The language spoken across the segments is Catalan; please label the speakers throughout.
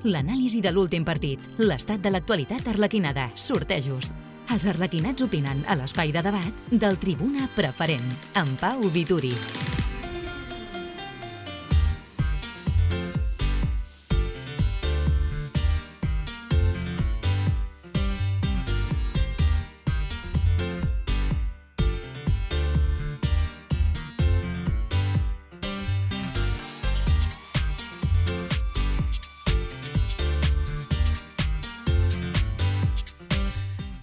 Speaker 1: L'anàlisi de l'últim partit, l'estat de l'actualitat arlequinada, sortejos. Els arlequinats opinen a l'espai de debat del Tribuna Preferent, amb Pau Vituri.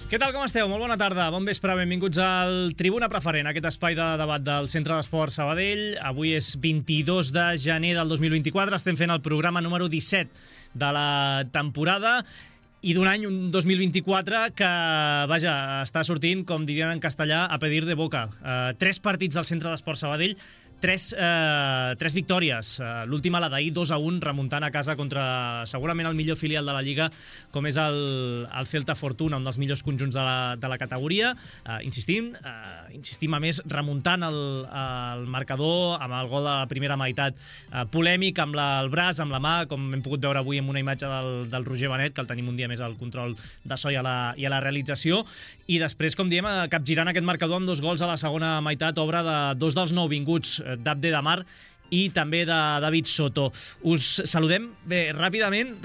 Speaker 2: Què tal, com esteu? Molt bona tarda, bon vespre, benvinguts al Tribuna Preferent, aquest espai de debat del Centre d'Esports Sabadell. Avui és 22 de gener del 2024, estem fent el programa número 17 de la temporada i d'un any, un 2024, que, vaja, està sortint, com dirien en castellà, a pedir de boca. 3 partits del Centre d'Esports Sabadell, 3 victòries. L'última, la d'ahir, 2-1, remuntant a casa contra segurament el millor filial de la Lliga, com és el Celta Fortuna, un dels millors conjunts de la categoria. Insistim a més, remuntant el marcador amb el gol de la primera meitat polèmic, amb el braç, amb la mà, com hem pogut veure avui amb una imatge del Roger Benet, que el tenim un dia més al control de so i a la realització. I després, com diem, capgirant aquest marcador amb 2 gols a la segona meitat, obra de 2 dels nouvinguts, d'Abde Damar i també de David Soto. Us saludem bé, ràpidament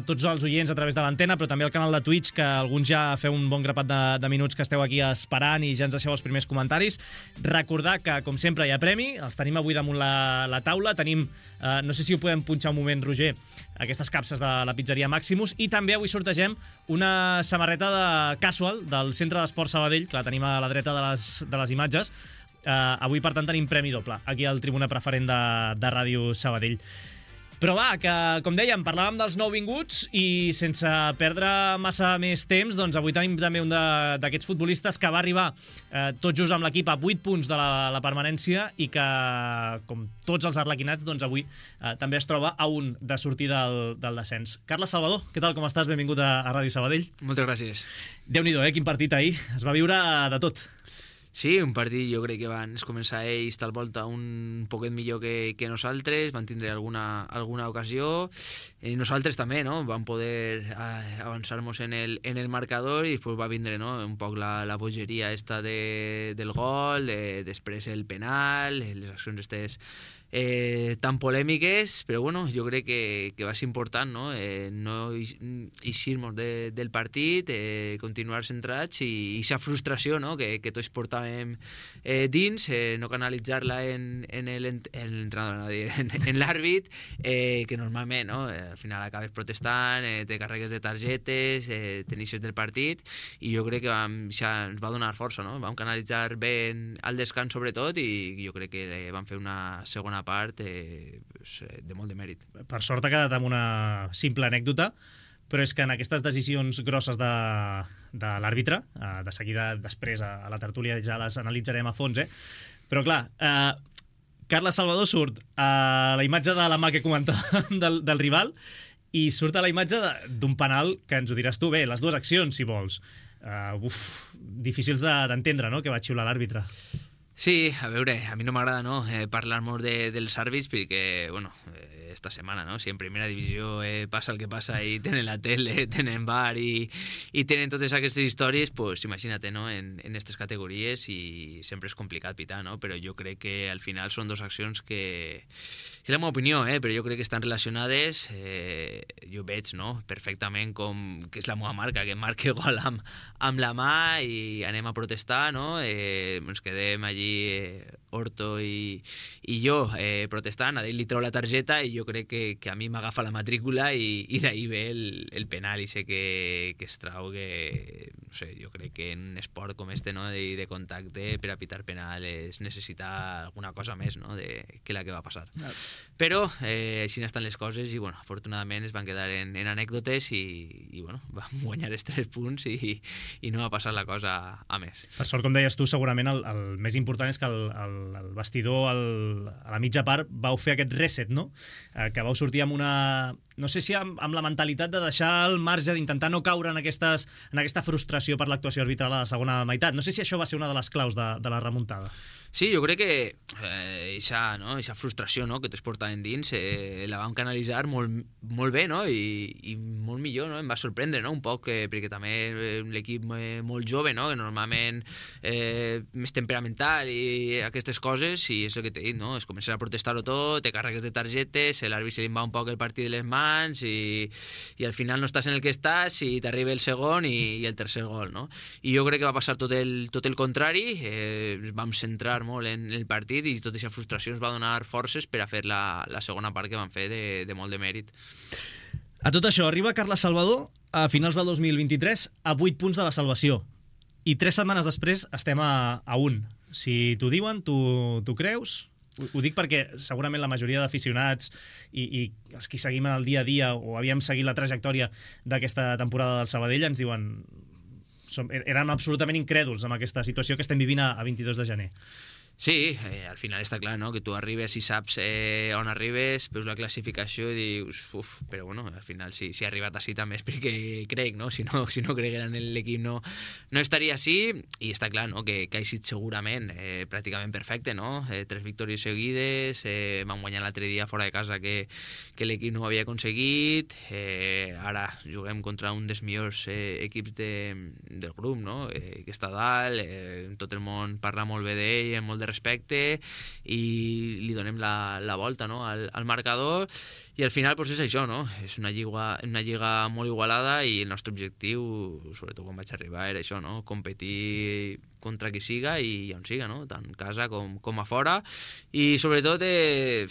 Speaker 2: tots els oients a través de l'antena, però també al canal de Twitch, que alguns ja feu un bon grapat de minuts que esteu aquí esperant i ja ens deixeu els primers comentaris. Recordar que, com sempre, hi ha premi, els tenim avui damunt la taula, tenim, no sé si ho podem punxar un moment, Roger, aquestes capses de la pizzeria Maximus, i també avui sortegem una samarreta de Casual del Centre d'Esports Sabadell, que la tenim a la dreta de les imatges. Avui, per tant, tenim premi doble aquí al Tribuna Preferent de Ràdio Sabadell. Però va, que, com dèiem, parlàvem dels nouvinguts i sense perdre massa més temps, doncs avui tenim també un d'aquests futbolistes que va arribar tot just amb l'equip a 8 punts de la permanència i que, com tots els arlequinats, doncs avui també es troba a un de sortir del descens. Carles Salvador, què tal, com estàs? Benvingut a Ràdio Sabadell.
Speaker 3: Moltes gràcies.
Speaker 2: Déu-n'hi-do, quin partit ahir. Es va viure de tot.
Speaker 3: Sí, un partit jo crec que van començar ells tal volta un poquet millor que nosaltres, van tindre alguna ocasió, nosaltres també, no? Vam poder avançar-nos en el marcador i després va vindre, no? Un poc la bogeria esta del gol, després el penal, les accions estes tan polèmiques, però bueno, jo crec que va ser important, no? No eixir-nos del partit, continuar centrats i aquesta frustració, no? que tots portàvem dins, no canalitzar-la en l'entrenador, en l'àrbit, que normalment, no? Al final acabes protestant, te carregues de targetes, t'iniciés del partit, i jo crec que ens va donar força, no? Vam canalitzar bé al descans sobretot, i jo crec que vam fer una segona part de molt de mèrit.
Speaker 2: Per sort ha quedat amb una simple anècdota, però és que en aquestes decisions grosses de l'àrbitre, de seguida després a la tertúlia ja les analitzarem a fons, però clar, Carles Salvador surt a la imatge de la mà que comentàvem del rival i surt a la imatge d'un penal que ens ho diràs tu bé, les dues accions, si vols. Difícils d'entendre, no?, que va xiular l'àrbitre.
Speaker 3: Sí, a veure, a mi no m'agrada, no?, parlar molt dels àrbits perquè, bueno, esta setmana, no?, si en primera divisió passa el que passa i tenen la tele, tenen bar i tenen totes aquestes històries, pues imagina't, no?, en aquestes categories, i sempre és complicat pitar, no?, però jo crec que al final són dues accions que és la meva opinió, però jo crec que estan relacionades. Jo veig, no?, perfectament que és la meva marca, que marque gol amb la mà i anem a protestar, no?, ens quedem allí Horto i jo protestant, a ell li treu la targeta i jo crec que a mi m'agafa la matrícula i d'ahir ve el penal, i sé que es trau, que no sé, jo crec que en un esport com este, no?, de contacte, per a pitar penal es necessita alguna cosa més, no?, que la que va passar. Però així estan les coses i bueno, afortunadament es van quedar en anècdotes i bueno, vam guanyar els 3 punts i no va passar la cosa a més.
Speaker 2: Per sort, com deies tu, segurament el més important és que el vestidor a la mitja part vau fer aquest reset, no? Que vau sortir amb una no sé si amb la mentalitat de deixar el marge, d'intentar no caure en aquesta frustració per l'actuació arbitral a la segona meitat. No sé si això va ser una de les claus de la remuntada.
Speaker 3: Sí, jo crec que eixa frustració, no?, que t'es portat endins la vam canalitzar molt bé, no?, i molt millor, no?, em va sorprendre, no?, un poc, perquè també l'equip molt jove, no?, que normalment més temperamental i aquestes coses, i és el que t'he dit, no?, es comença a protestar-ho tot, te carregues de targetes, l'àrbit se li va un poc el partit de les mans i al final no estàs en el que estàs i t'arriba el segon i el tercer gol, no? I jo crec que va passar tot el contrari, vam centrar molt en el partit i tota aquesta frustració ens va donar forces per a fer la segona part que van fer de molt de mèrit.
Speaker 2: A tot això, arriba Carles Salvador a finals del 2023 a 8 punts de la salvació i 3 setmanes després estem a 1. Si t'ho diuen, t'ho creus? Ho dic perquè segurament la majoria d'aficionats i els que seguim en el dia a dia o havíem seguit la trajectòria d'aquesta temporada del Sabadell ens diuen érem absolutament incrèduls amb aquesta situació que estem vivint a 22 de gener.
Speaker 3: Sí, al final està clar, no?, que tu arribes i saps on arribes, veus la classificació i dius, però bueno, al final si he arribat així també és perquè crec, no? Si no cregueren en l'equip no estaria així, i està clar, no?, que ha sigut segurament pràcticament perfecte, no? 3 victòries seguides, vam guanyar l'altre dia fora de casa que l'equip no ho havia aconseguit, ara juguem contra un dels millors equips del grup, no?, que està dalt, tot el món parla molt bé d'ell, amb molt de respecte, i li donem la volta, no?, al marcador, i al final pues és això, no?, és una lliga molt igualada i el nostre objectiu, sobretot quan vaig arribar, era això, no?, competir contra qui siga i on siga, no?, tant a casa com a fora, i sobretot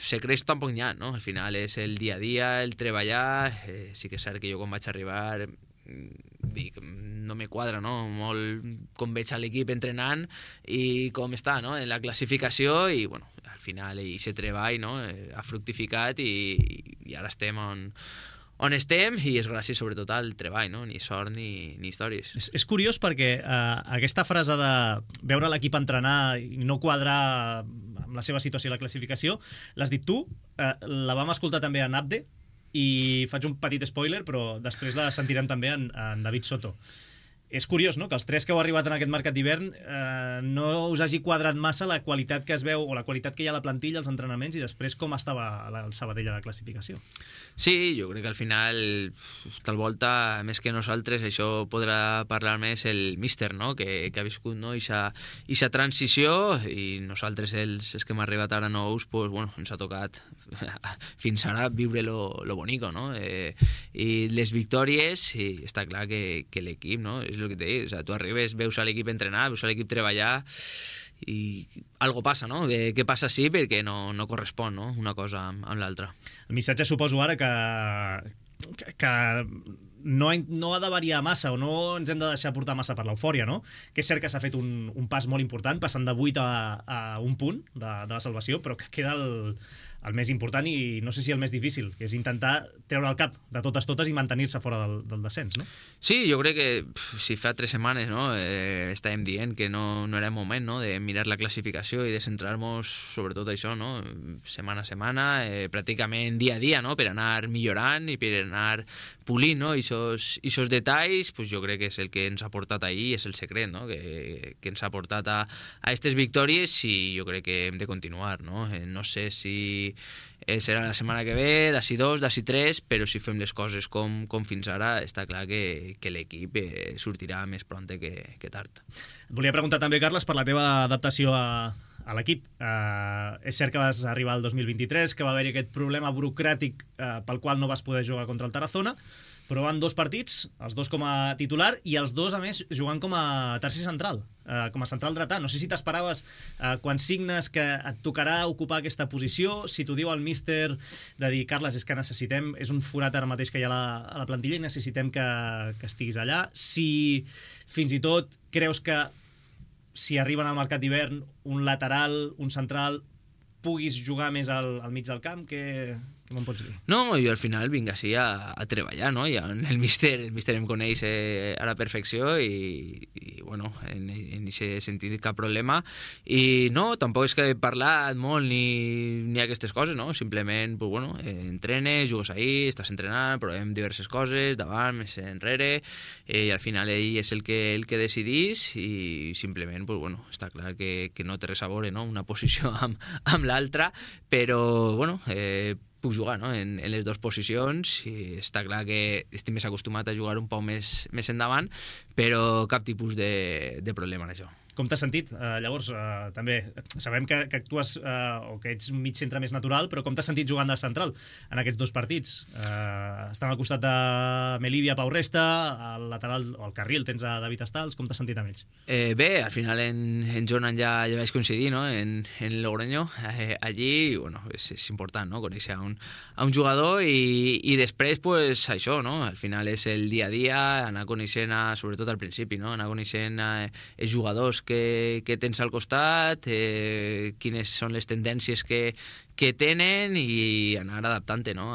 Speaker 3: se creix tan poc nyat, no?, al final és el dia a dia, el treballar, sí que és cert que jo quan vaig arribar dic, no me quadra, no?, molt com veig a l'equip entrenant i com està, no?, en la classificació, i bueno, al final aquest treball, no?, ha fructificat i ara estem on estem, i és gràcies sobretot al treball, no?, ni sort ni històries.
Speaker 2: És curiós perquè aquesta frase de veure l'equip entrenar i no quadrar amb la seva situació i la classificació, l'has dit tu, la vam escoltar també a Abde, i faig un petit spoiler, però després la sentirem també en David Soto. És curiós, no?, que els 3 que heu arribat en aquest mercat d'hivern no us hagi quadrat massa la qualitat que es veu o la qualitat que hi ha a la plantilla, als entrenaments, i després com estava el Sabadell a la classificació.
Speaker 3: Sí, jo crec que al final, tal volta, més que nosaltres, això podrà parlar més el míster, no?, que ha viscut, no?, ixa transició, i nosaltres, els que hem arribat ara nous, pues, bueno, ens ha tocat fins ara viure lo bonico, no?, i les victòries, i està clar que l'equip, no?, és el que t'he dit, o sea, tu arribes, veus a l'equip entrenar, veus a l'equip treballar, i algo passa, no? Què passa sí perquè no correspon, no?, una cosa amb l'altra.
Speaker 2: El missatge suposo ara que no ha de variar massa o no ens hem de deixar portar massa per l'eufòria, no? Que és cert que s'ha fet un pas molt important, passant de 8 a 1 punt de la salvació, però que queda el més important i no sé si el més difícil, que és intentar treure el cap de totes i mantenir-se fora del descens, no?
Speaker 3: Sí, jo crec que si fa 3 setmanes, no, estàvem dient que no era moment, no?, de mirar la classificació i de centrar-nos sobretot això, no?, setmana a setmana, pràcticament dia a dia, no?, per anar millorant i per anar polint, no?, isos detalls, pues jo crec que és el que ens ha portat ahir, és el secret, no?, que ens ha portat a aquestes victòries, i jo crec que hem de continuar, no? No sé si serà la setmana que ve, d'ací 2, d'ací 3, però si fem les coses com fins ara, està clar que l'equip sortirà més pront que tard.
Speaker 2: Et volia preguntar també, Carles, per la teva adaptació a l'equip. És cert que vas arribar al 2023, que va haver-hi aquest problema burocràtic pel qual no vas poder jugar contra el Tarazona, però van 2 partits, els 2 com a titular i els 2, a més, jugant com a tercer central, com a central dretà. No sé si t'esperaves quan signes que et tocarà ocupar aquesta posició, si t'ho diu el míster de dir, Carles, és que necessitem, és un forat ara mateix que hi ha a la plantilla i necessitem que estiguis allà. Si fins i tot creus que si arriben al mercat d'hivern un lateral, un central, puguis jugar més al mig del camp, què Com em pots dir?
Speaker 3: No, jo al final vinc així a treballar, no? I el míster em coneix a la perfecció i bueno, en aquest sentit cap problema. I no, tampoc és que he parlat molt ni aquestes coses, no? Simplement, pues, bueno, entrenes, jugues ahí, estàs entrenant, provem diverses coses, davant, més enrere, i al final ell és el que decidís i simplement, pues, bueno, està clar que no té res a veure, no? Una posició amb l'altra, però, bueno, puc jugar, no? en les dues posicions i està clar que estic més acostumat a jugar un poc més endavant, però cap tipus de problema en això.
Speaker 2: Com t'has sentit? Llavors, també sabem que actues o que ets un mig centre més natural, però com t'has sentit jugant de central en aquests dos partits? Estan al costat de Melivia, Pau Resta, al lateral o al carril tens a David Estals, com t'has sentit amb ells?
Speaker 3: Bé, al final en Jonan ja vaig coincidir, no? en Logroño, allí, bueno, és important, no? Conèixer a un jugador i després, pues, això, no? Al final és el dia a dia, anar coneixent, sobretot al principi, no? Anar coneixent els jugadors que tens al costat, quines són les tendències que tenen i anar adaptant-te, no?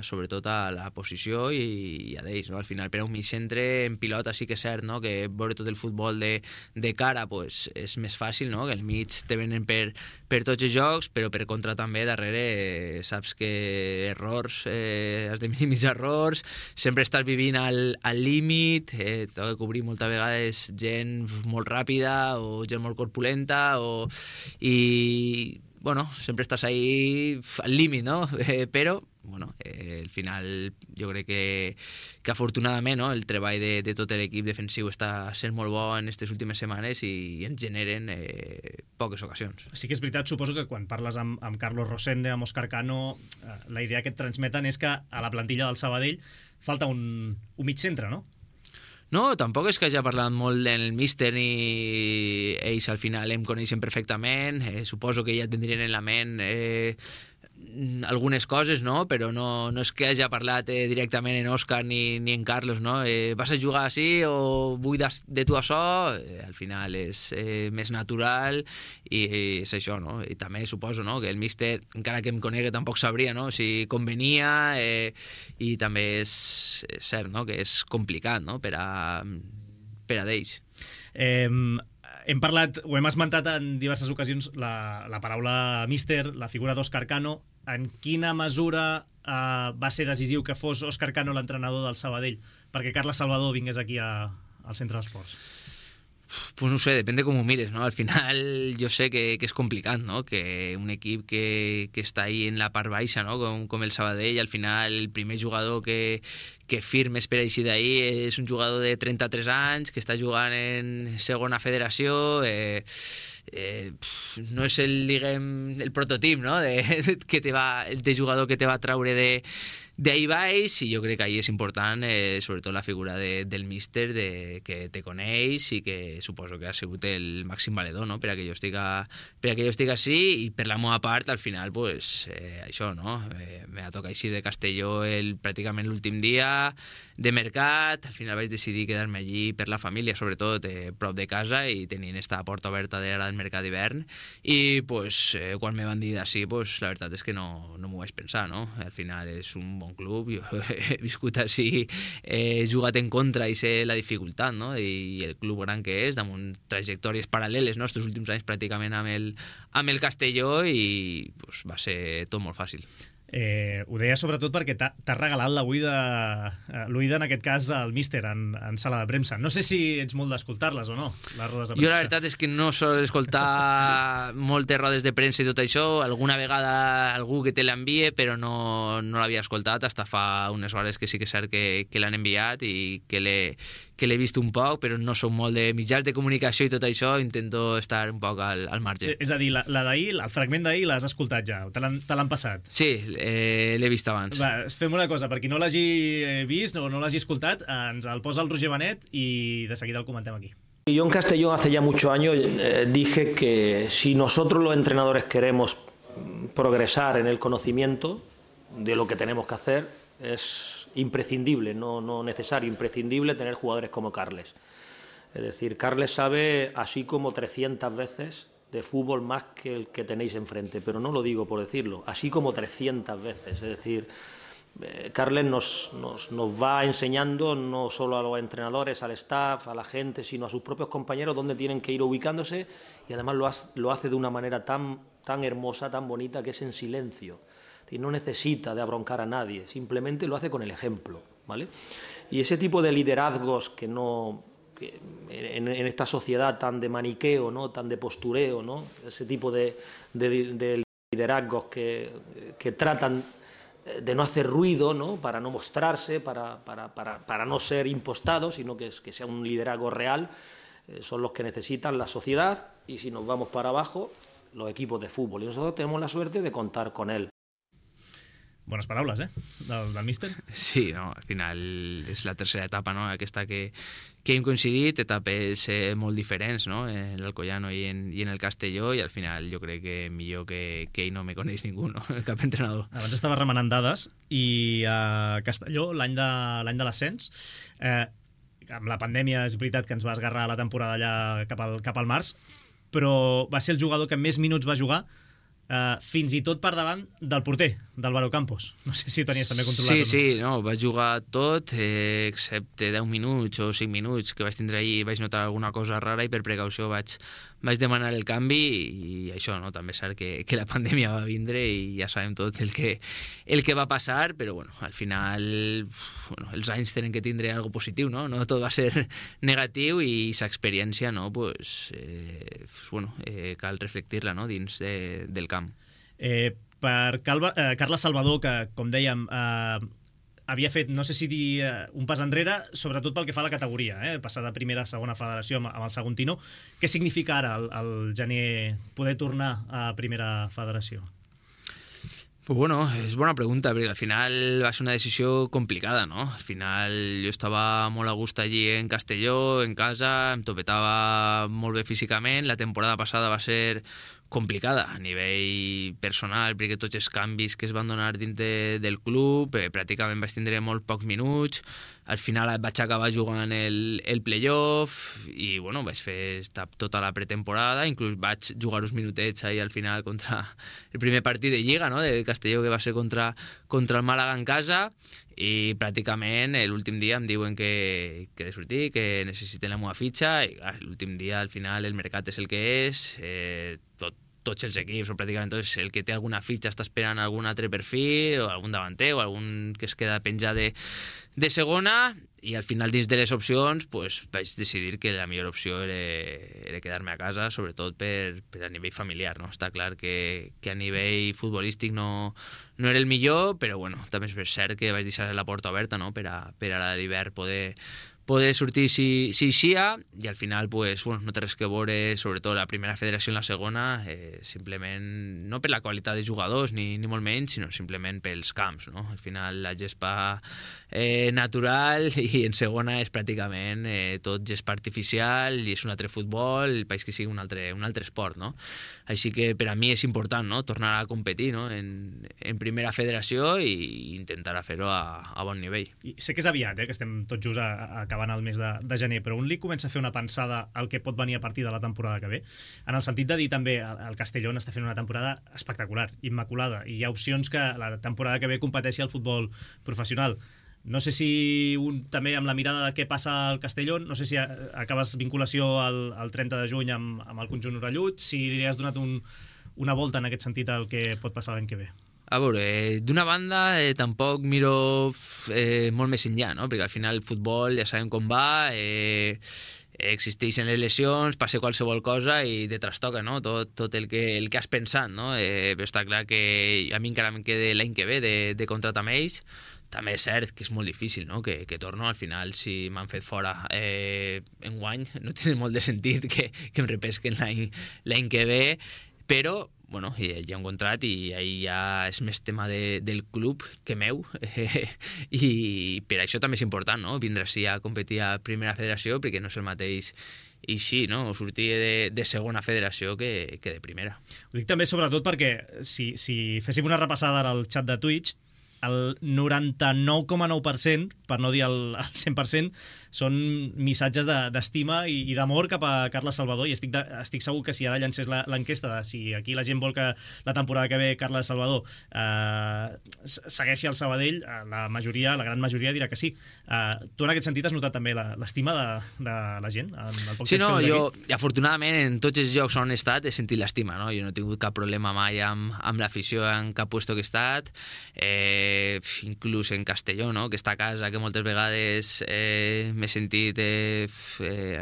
Speaker 3: Sobretot a la posició i a d'ells, no? Al final, per a un mig centre en pilota sí que és cert, no? Que veure tot el futbol de cara pues, és més fàcil, no? Que el mig te venen per tots els jocs, però per contra també darrere saps que errors, has de minimitzar errors, sempre estàs vivint al límit, t'ha de cobrir moltes vegades gent molt ràpida o gent molt corpulenta i bueno, sempre estàs ahí al límit, no? Però bueno, al final jo crec que afortunadament, no? El treball de tot l'equip defensiu està sent molt bo en aquestes últimes setmanes i ens generen poques ocasions.
Speaker 2: Sí que és veritat, suposo que quan parles amb Carlos Rosende, amb Òscar Cano, la idea que et transmeten és que a la plantilla del Sabadell falta un mig centre, no?
Speaker 3: No, tampoc és que hagi parlat molt del míster ni ells al final em coneixen perfectament, suposo que ja tindrien en la ment algunes coses, no? Però no és que hagi parlat directament en Òscar ni en Carlos, no? Vas a jugar així o vull de tu això? Al final és més natural i és això, no? I també suposo, no? Que el míster, encara que em conegui, tampoc sabria, no? Si convenia i també és cert, no? Que és complicat, no? Per a d'ells.
Speaker 2: Hem parlat, o hem esmentat en diverses ocasions la paraula míster, la figura d'Òscar Cano. En quina mesura va ser decisiu que fos Òscar Cano l'entrenador del Sabadell perquè Carles Salvador vingués aquí al Centre d'Esports?
Speaker 3: Pues no sé, depèn de com ho mires, no? Al final jo sé que és complicat, no? Que un equip que està ahí en la part baixa, no? Com el Sabadell, al final el primer jugador que firmes per així d'ahir és un jugador de 33 anys que està jugant en segona federació, no és el prototip, no? de jugador que te va traure d'ahir baix, i jo crec que ahir és important sobretot la figura del míster que te coneix i que suposo que ha sigut el màxim valedor, no? per a que jo estic així, i per la meva part al final pues, això, no? Me va tocar així de Castelló pràcticament l'últim dia de mercat, al final vaig decidir quedar-me allí per la família, sobretot prop de casa, i tenint esta porta oberta d'ara del mercat d'hivern, i pues, quan me van dir d'ací, pues, la veritat és que no m'ho vaig pensar, no? Al final és un bon club, jo he viscut així, he jugat en contra i sé la dificultat, no? I el club gran que és, damunt trajectòries paral·leles, no? Estos últims anys pràcticament amb el Castelló, i pues, va ser tot molt fàcil.
Speaker 2: Ho deia sobretot perquè t'ha regalat l'oïda en aquest cas al míster en sala de premsa. No sé si ets molt d'escoltar-les o no, les rodes de premsa.
Speaker 3: Jo la veritat és que no sol escoltar moltes rodes de premsa i tot això. Alguna vegada algú que te l'envie, però no l'havia escoltat fins fa unes hores, que sí que és cert que l'han enviat i que l'he vist un poc, però no som molt de mitjans de comunicació i tot això, intento estar un poc al marge.
Speaker 2: És a dir, la d'ahir, el fragment d'ahir l'has escoltat ja, te l'han passat?
Speaker 3: Sí, l'he vist abans.
Speaker 2: Va, fem una cosa, per qui no l'hagi vist o no l'hagi escoltat, ens el posa el Roger Benet i de seguida el comentem aquí.
Speaker 4: Yo en Castellón hace ya muchos años dije que si nosotros los entrenadores queremos progresar en el conocimiento de lo que tenemos que hacer, es imprescindible, no necesario, imprescindible tener jugadores como Carles. Es decir, Carles sabe, así como 300 veces, de fútbol más que el que tenéis enfrente, pero no lo digo por decirlo, así como 300 veces. Es decir, Carles nos va enseñando no solo a los entrenadores, al staff, a la gente, sino a sus propios compañeros dónde tienen que ir ubicándose, y además lo hace de una manera tan hermosa, tan bonita, que es en silencio. Es decir, no necesita de abroncar a nadie, simplemente lo hace con el ejemplo, ¿vale? Y ese tipo de liderazgos que en esta sociedad tan de maniqueo, ¿no?, tan de postureo, ¿no?, ese tipo de liderazgos que tratan de no hacer ruido, ¿no?, para no mostrarse, para no ser impostados, sino que sea un liderazgo real, son los que necesitan la sociedad, y si nos vamos para abajo, los equipos de fútbol. Y nosotros tenemos la suerte de contar con él.
Speaker 2: Bones paraules, del míster.
Speaker 3: Sí, no, al final és la tercera etapa, no?, aquesta que hem coincidit, etapes molt diferents, no?, en l'Alcoyano i en el Castelló, i al final jo crec que millor que ell no me coneix ningú, no?, cap entrenador.
Speaker 2: Abans estava remenant dades, i a Castelló, l'any de l'ascens, amb la pandèmia és veritat que ens va esgarrar la temporada allà cap al març, però va ser el jugador que més minuts va jugar, fins i tot per davant del porter, d'Álvaro Campos. No sé si ho tenies també controlat.
Speaker 3: Sí, no, vaig jugar tot, excepte 10 minuts o 5 minuts que vaig tindre ahir, vaig notar alguna cosa rara, i per precaució vaig demanar el canvi, i això, no, també és cert que la pandèmia va vindre i ja sabem tot el que va passar, però bueno, al final els anys tenen que tindre algo positiu, no tot va ser negatiu, i aquesta experiència, no, pues, cal reflectir-la, no, dins del camp.
Speaker 2: Per Carles Salvador, que, com dèiem, havia fet, no sé si dir un pas enrere, sobretot pel que fa a la categoria, passar de primera a segona federació amb el Saguntino. Què significa ara el gener poder tornar a primera federació?
Speaker 3: Pues bueno, és bona pregunta, perquè al final va ser una decisió complicada, no? Al final jo estava molt a gust allí en Castelló, en casa, em topetava molt bé físicament. La temporada passada va ser complicada a nivell personal, perquè tots els canvis que es van donar dins del club, pràcticament vaig tindre molt pocs minuts. Al final vaig acabar jugant el playoff, i bueno, vaig fer tota la pretemporada, inclús vaig jugar uns minutets ahí al final contra el primer partit de Lliga, no?, del Castelló, que va ser contra el Màlaga en casa, i pràcticament l'últim dia em diuen que he de sortir, que necessiten la meva fitxa, i clar, l'últim dia al final el mercat és el que és, tots els equips, o pràcticament tots, el que té alguna fitxa està esperant algun altre perfil, o algun davanter, o algun que es queda penjat de segona, i al final dins de les opcions pues, vaig decidir que la millor opció era quedar-me a casa, sobretot per a nivell familiar, no? Està clar que a nivell futbolístic no era el millor, però bueno, també és cert que vaig deixar la porta oberta, no?, per a l'hivern poder sortir si eixia, i al final pues, bueno, no té res que veure, sobretot la primera federació en la segona, simplement no per la qualitat de jugadors ni molt menys, sinó simplement pels camps, no? Al final la gespa natural, i en segona és pràcticament tot gespa artificial, i és un altre futbol, el país que sigui un altre esport, no? Així que per a mi és important, no?, tornar a competir, no?, en primera federació, i intentar fer-ho a bon nivell.
Speaker 2: I sé que és aviat, que estem tots just acabant el mes de gener, però un li comença a fer una pensada al que pot venir a partir de la temporada que ve, en el sentit de dir també el Castellón està fent una temporada espectacular, immaculada, i hi ha opcions que la temporada que ve competeixi al futbol professional. No sé si també amb la mirada de què passa al Castellón, no sé si acabes vinculació al 30 de juny amb el conjunt orellut, si li has donat una volta en aquest sentit al que pot passar l'any que ve.
Speaker 3: A veure, d'una banda tampoc miro molt més enllà, no? Perquè al final el futbol ja sabem com va, existeixen les lesions, passa qualsevol cosa i te trastoca, no?, tot el que has pensat, no? Però està clar que a mi encara em queda l'any que ve de contractar amb ells. També és cert que és molt difícil, no?, que torno. Al final, si m'han fet fora enguany, no té molt de sentit que em repesquen l'any que ve, però bueno, hi ha un contrat, i ahí ja és més tema del club que meu, i per això també és important, no?, vindre així a competir a primera federació, perquè no és el mateix i sí, no?, sortir de segona federació que de primera.
Speaker 2: Ho dic també sobretot perquè si féssim una repassada al xat de Twitch, el 99,9%, per no dir el 100%, són missatges d'estima i d'amor cap a Carles Salvador, i estic segur que si ara llancés l'enquesta de si aquí la gent vol que la temporada que ve Carles Salvador segueixi al Sabadell, la gran majoria dirà que sí. Tu en aquest sentit has notat també l'estima de la gent?
Speaker 3: Sí, no, jo afortunadament en tots els llocs on he estat he sentit l'estima, no? Jo no he tingut cap problema mai amb l'afició en cap puesto que he estat, inclús en Castelló, no? Que està a casa, que moltes vegades m'he sentit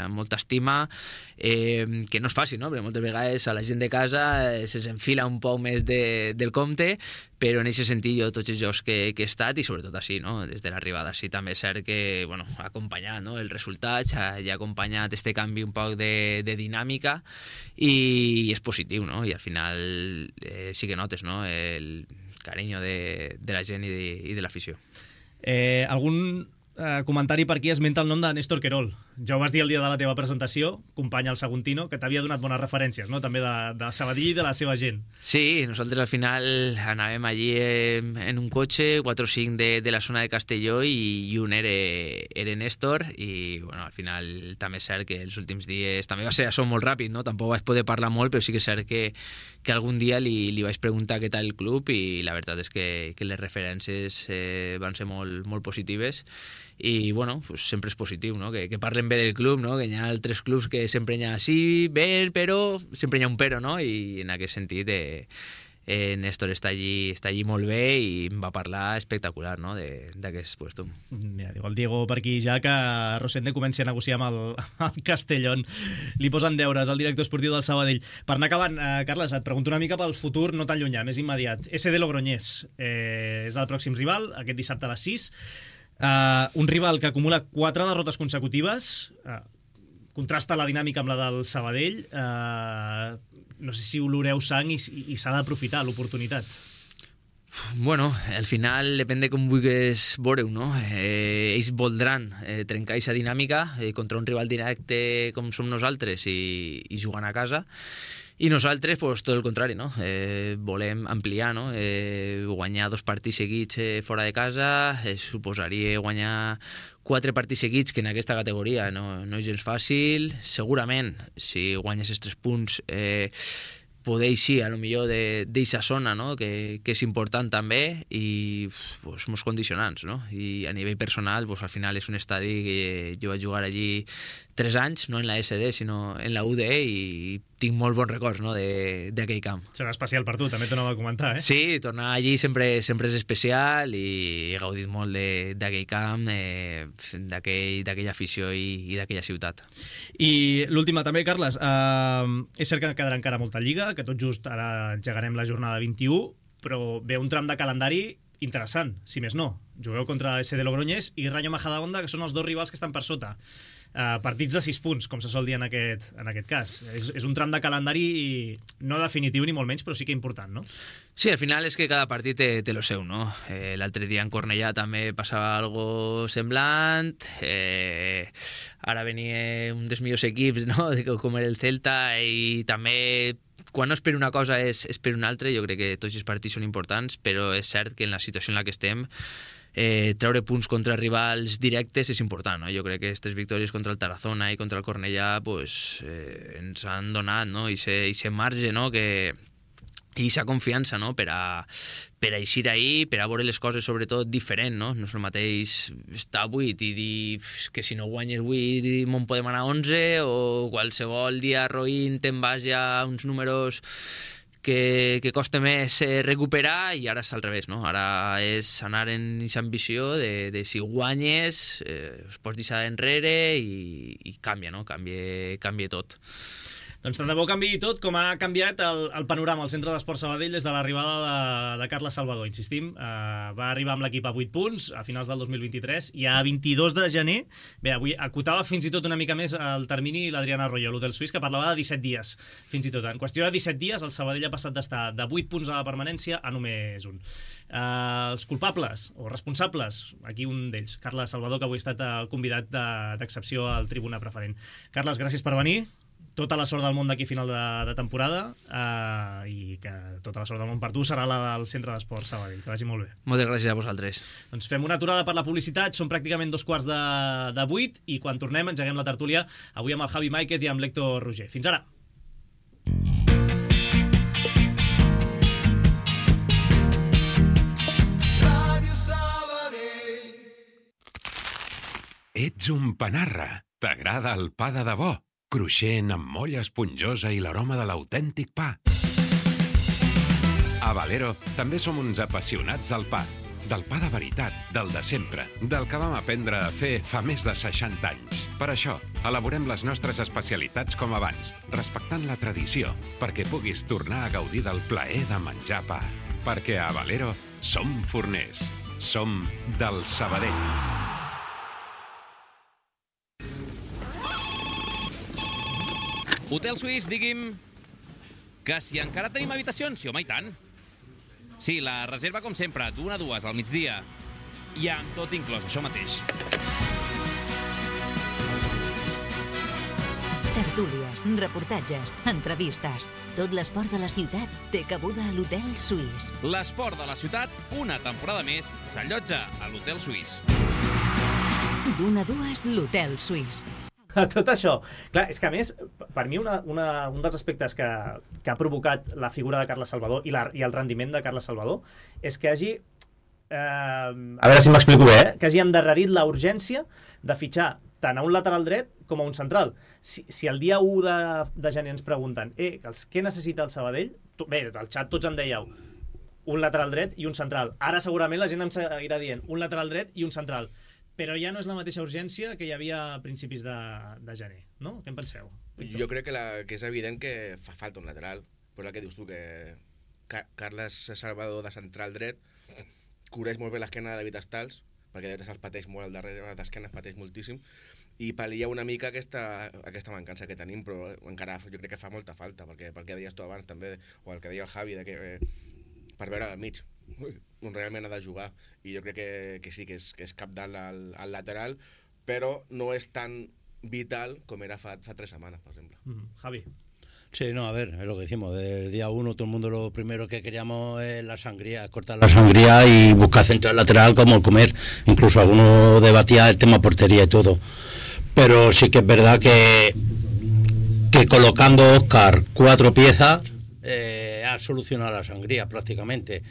Speaker 3: amb molta estima, que no és fàcil, no? Perquè moltes vegades a la gent de casa se'ns enfila un poc més del compte, però en aquest sentit jo tots els jocs que he estat, i sobretot així, no? Des de l'arribada, sí, també és cert que ha acompanyat, no? Els resultats, ha acompanyat este canvi un poc de dinàmica, i és positiu, no? I al final sí que notes, no? El carinyo de la gent i de l'afició.
Speaker 2: Algun comentari per aquí esmenta el nom de Néstor Querol. Ja ho vas dir el dia de la teva presentació, company al Saguntino, que t'havia donat bones referències, no? També de Sabadell i de la seva gent.
Speaker 3: Sí, nosaltres al final anàvem allí en un cotxe, 4 o 5 de la zona de Castelló, i un era Néstor, i al final també és cert que els últims dies també va ser això molt ràpid, no? Tampoc vaig poder parlar molt, però sí que és cert que algun dia li vaig preguntar què tal el club, i la veritat és que les referències van ser molt positives, i pues sempre és positiu, no? Que parlen bé del club, no? Que hi ha altres clubs que sempre hi ha sí, bé, però sempre hi ha un però, no? I en aquest sentit Néstor està allí molt bé, i em va parlar espectacular, no? D'aquest puesto.
Speaker 2: Mira, diu el Diego per aquí ja que Rosende comenci a negociar amb el Castellón. Li posen deures al director esportiu del Sabadell. Per anar acabant, Carles, et pregunto una mica pel futur no tan llunyà, més immediat. SD Logroñés és el pròxim rival, aquest dissabte a les 6. Un rival que acumula 4 derrotes consecutives, contrasta la dinàmica amb la del Sabadell. No sé si oloreu sang i s'ha d'aprofitar l'oportunitat.
Speaker 3: Bueno, al final depèn de com vulguis veure-ho, no? Ells voldran trencar aquesta dinàmica contra un rival directe com som nosaltres i jugant a casa. I nosaltres, pues, tot el contrari, no? Volem ampliar, no? Guanyar 2 partits seguits fora de casa, suposaria guanyar 4 partits seguits, que en aquesta categoria no és gens fàcil. Segurament, si guanyes els 3 punts, poder eixir a lo millor d'eixa zona, no? Que és important també, i pues, molts condicionants, no? I a nivell personal, pues, al final és un estadi que jo vaig jugar allí 3 anys, no en la SD, sinó en la UDE, i tinc molt bons records, no? d'aquell camp.
Speaker 2: Serà especial per tu, també t'ho anava a comentar, eh?
Speaker 3: Sí, tornar allí sempre és especial, i he gaudit molt d'aquell camp, d'aquella afició i d'aquella ciutat.
Speaker 2: I l'última també, Carles, és cert que quedarà encara molta lliga, que tot just ara engegarem la jornada 21, però ve un tram de calendari interessant, si més no. Jugueu contra SD Logroñés i Rayo Majadahonda, que són els 2 rivals que estan per sota. Partits de 6 punts, com se sol dir en aquest cas. És un tram de calendari no definitiu ni molt menys, però sí que important, no?
Speaker 3: Sí, al final és que cada partit té lo seu, no? L'altre dia en Cornellà també passava algo semblant, ara venia un dels millors equips, no? Com era el Celta, i també quan no és per una cosa és per una altra. Jo crec que tots els partits són importants, però és cert que en la situació en la que estem, treure punts contra rivals directes és important, no? Jo crec que aquestes victòries contra el Tarazona i contra el Cornellà pues, ens han donat, no? I se marge, no? I aquesta confiança, no? Per a eixir ahir, per a veure les coses sobretot diferent, no? No és el mateix estar a 8 i dir que si no guanyes 8 me'n podem anar a 11, o qualsevol dia roïn te'n vas ja a uns números que costa més recuperar, i ara és al revés, no? Ara és anar en aquesta ambició de si guanyes es pots deixar enrere i canvia, no? Canvia tot.
Speaker 2: Doncs tant de bo canviï tot, com ha canviat el panorama al Centre d'Esport Sabadell des de l'arribada de Carles Salvador. Insistim, va arribar amb l'equip a 8 punts a finals del 2023, i a 22 de gener, bé, avui acotava fins i tot una mica més el termini l'Adriana Arroyo, l'hotel suís, que parlava de 17 dies, fins i tot. En qüestió de 17 dies, el Sabadell ha passat d'estar de 8 punts a la permanència a només un. Els culpables o responsables, aquí un d'ells, Carles Salvador, que avui ha estat el convidat d'excepció al Tribuna Preferent. Carles, gràcies per venir. tota la sort del món d'aquí a final de temporada i que tota la sort del món per tu serà la del Centre d'Esports Sabadell. Que vagi molt bé.
Speaker 3: Moltes gràcies a vosaltres.
Speaker 2: Doncs fem una aturada per la publicitat, són pràcticament 7:45 i quan tornem engeguem la tertúlia avui amb el Javi Máiquez i amb l'Héctor Roger. Fins ara!
Speaker 5: Ets un panarra. T'agrada el pa de debò, cruixent amb molla esponjosa i l'aroma de l'autèntic pa. A Valero també som uns apassionats del pa de veritat, del de sempre, del que vam aprendre a fer fa més de 60 anys. Per això, elaborem les nostres especialitats com abans, respectant la tradició, perquè puguis tornar a gaudir del plaer de menjar pa. Perquè a Valero som forners, som del Sabadell.
Speaker 6: Hotel Suís, digui'm que si encara tenim habitacions, sí, home, i tant. Sí, la reserva com sempre, d'1 a 2 al migdia. I amb tot inclòs, això mateix.
Speaker 1: Tertúlies, reportatges, entrevistes. Tot l'esport de la ciutat té cabuda a l'Hotel Suís.
Speaker 6: L'esport de la ciutat, una temporada més, s'allotja a l'Hotel Suís.
Speaker 1: D'1 a 2, l'Hotel Suís.
Speaker 2: Tot això. Clar, és que a més, per mi un dels aspectes que ha provocat la figura de Carles Salvador i el rendiment de Carles Salvador és que hagi, a veure si m'explico bé, que hagi endarrerit la urgència de fitxar tant a un lateral dret com a un central. Si el dia 1 de gener ens pregunten què necessita el Sabadell, bé, al xat tots em dèieu un lateral dret i un central. Ara segurament la gent em seguirà dient un lateral dret i un central. Però ja no és la mateixa urgència que hi havia a principis de gener, no? Què en penseu?
Speaker 7: Jo crec que és evident que fa falta un lateral. Però el que dius tu, que Carles Salvador de central dret cobreix molt bé l'esquena de David Stals, perquè David Stals pateix molt al darrere d'esquena, pateix moltíssim, i pal·lia una mica aquesta mancança que tenim, però encara jo crec que fa molta falta, perquè pel que deies tu abans també, o el que deia el Javi, per veure al mig, on realment ha de jugar, i jo crec que sí, que és cabdal al lateral, però no és tan vital com era fa 3 setmanes, por ejemplo.
Speaker 2: Javi.
Speaker 8: Sí, no, a ver, es lo que decimos, desde el día 1 todo el mundo lo primero que queríamos es la sangría, cortar la sangría y buscar central lateral como el comer, incluso algunos debatía el tema portería y todo, pero sí que es verdad que colocando Óscar 4 piezas ha solucionado la sangría prácticamente.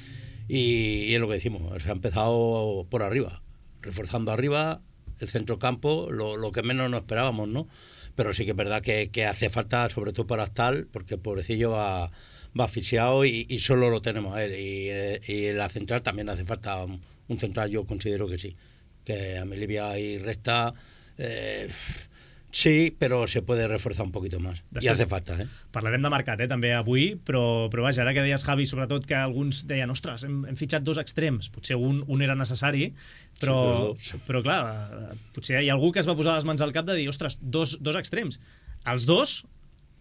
Speaker 8: Y es lo que decimos, se ha empezado por arriba, reforzando arriba el centrocampo, lo que menos nos esperábamos, ¿no? Pero sí que es verdad que hace falta, sobre todo para Astal, porque el pobrecillo va asfixiado y solo lo tenemos a él. Y en la central también hace falta un central, yo considero que sí. Que a Melivia y Resta... sí, però se puede reforzar un poquito más. I hace falta,
Speaker 2: Parlarem de mercat, també avui, però vaja, ara que deies, Javi, sobretot que alguns deien, ostres, hem fitxat 2 extrems, potser un era necessari, però clar, potser hi ha algú que es va posar les mans al cap de dir, ostres, dos extrems. Els 2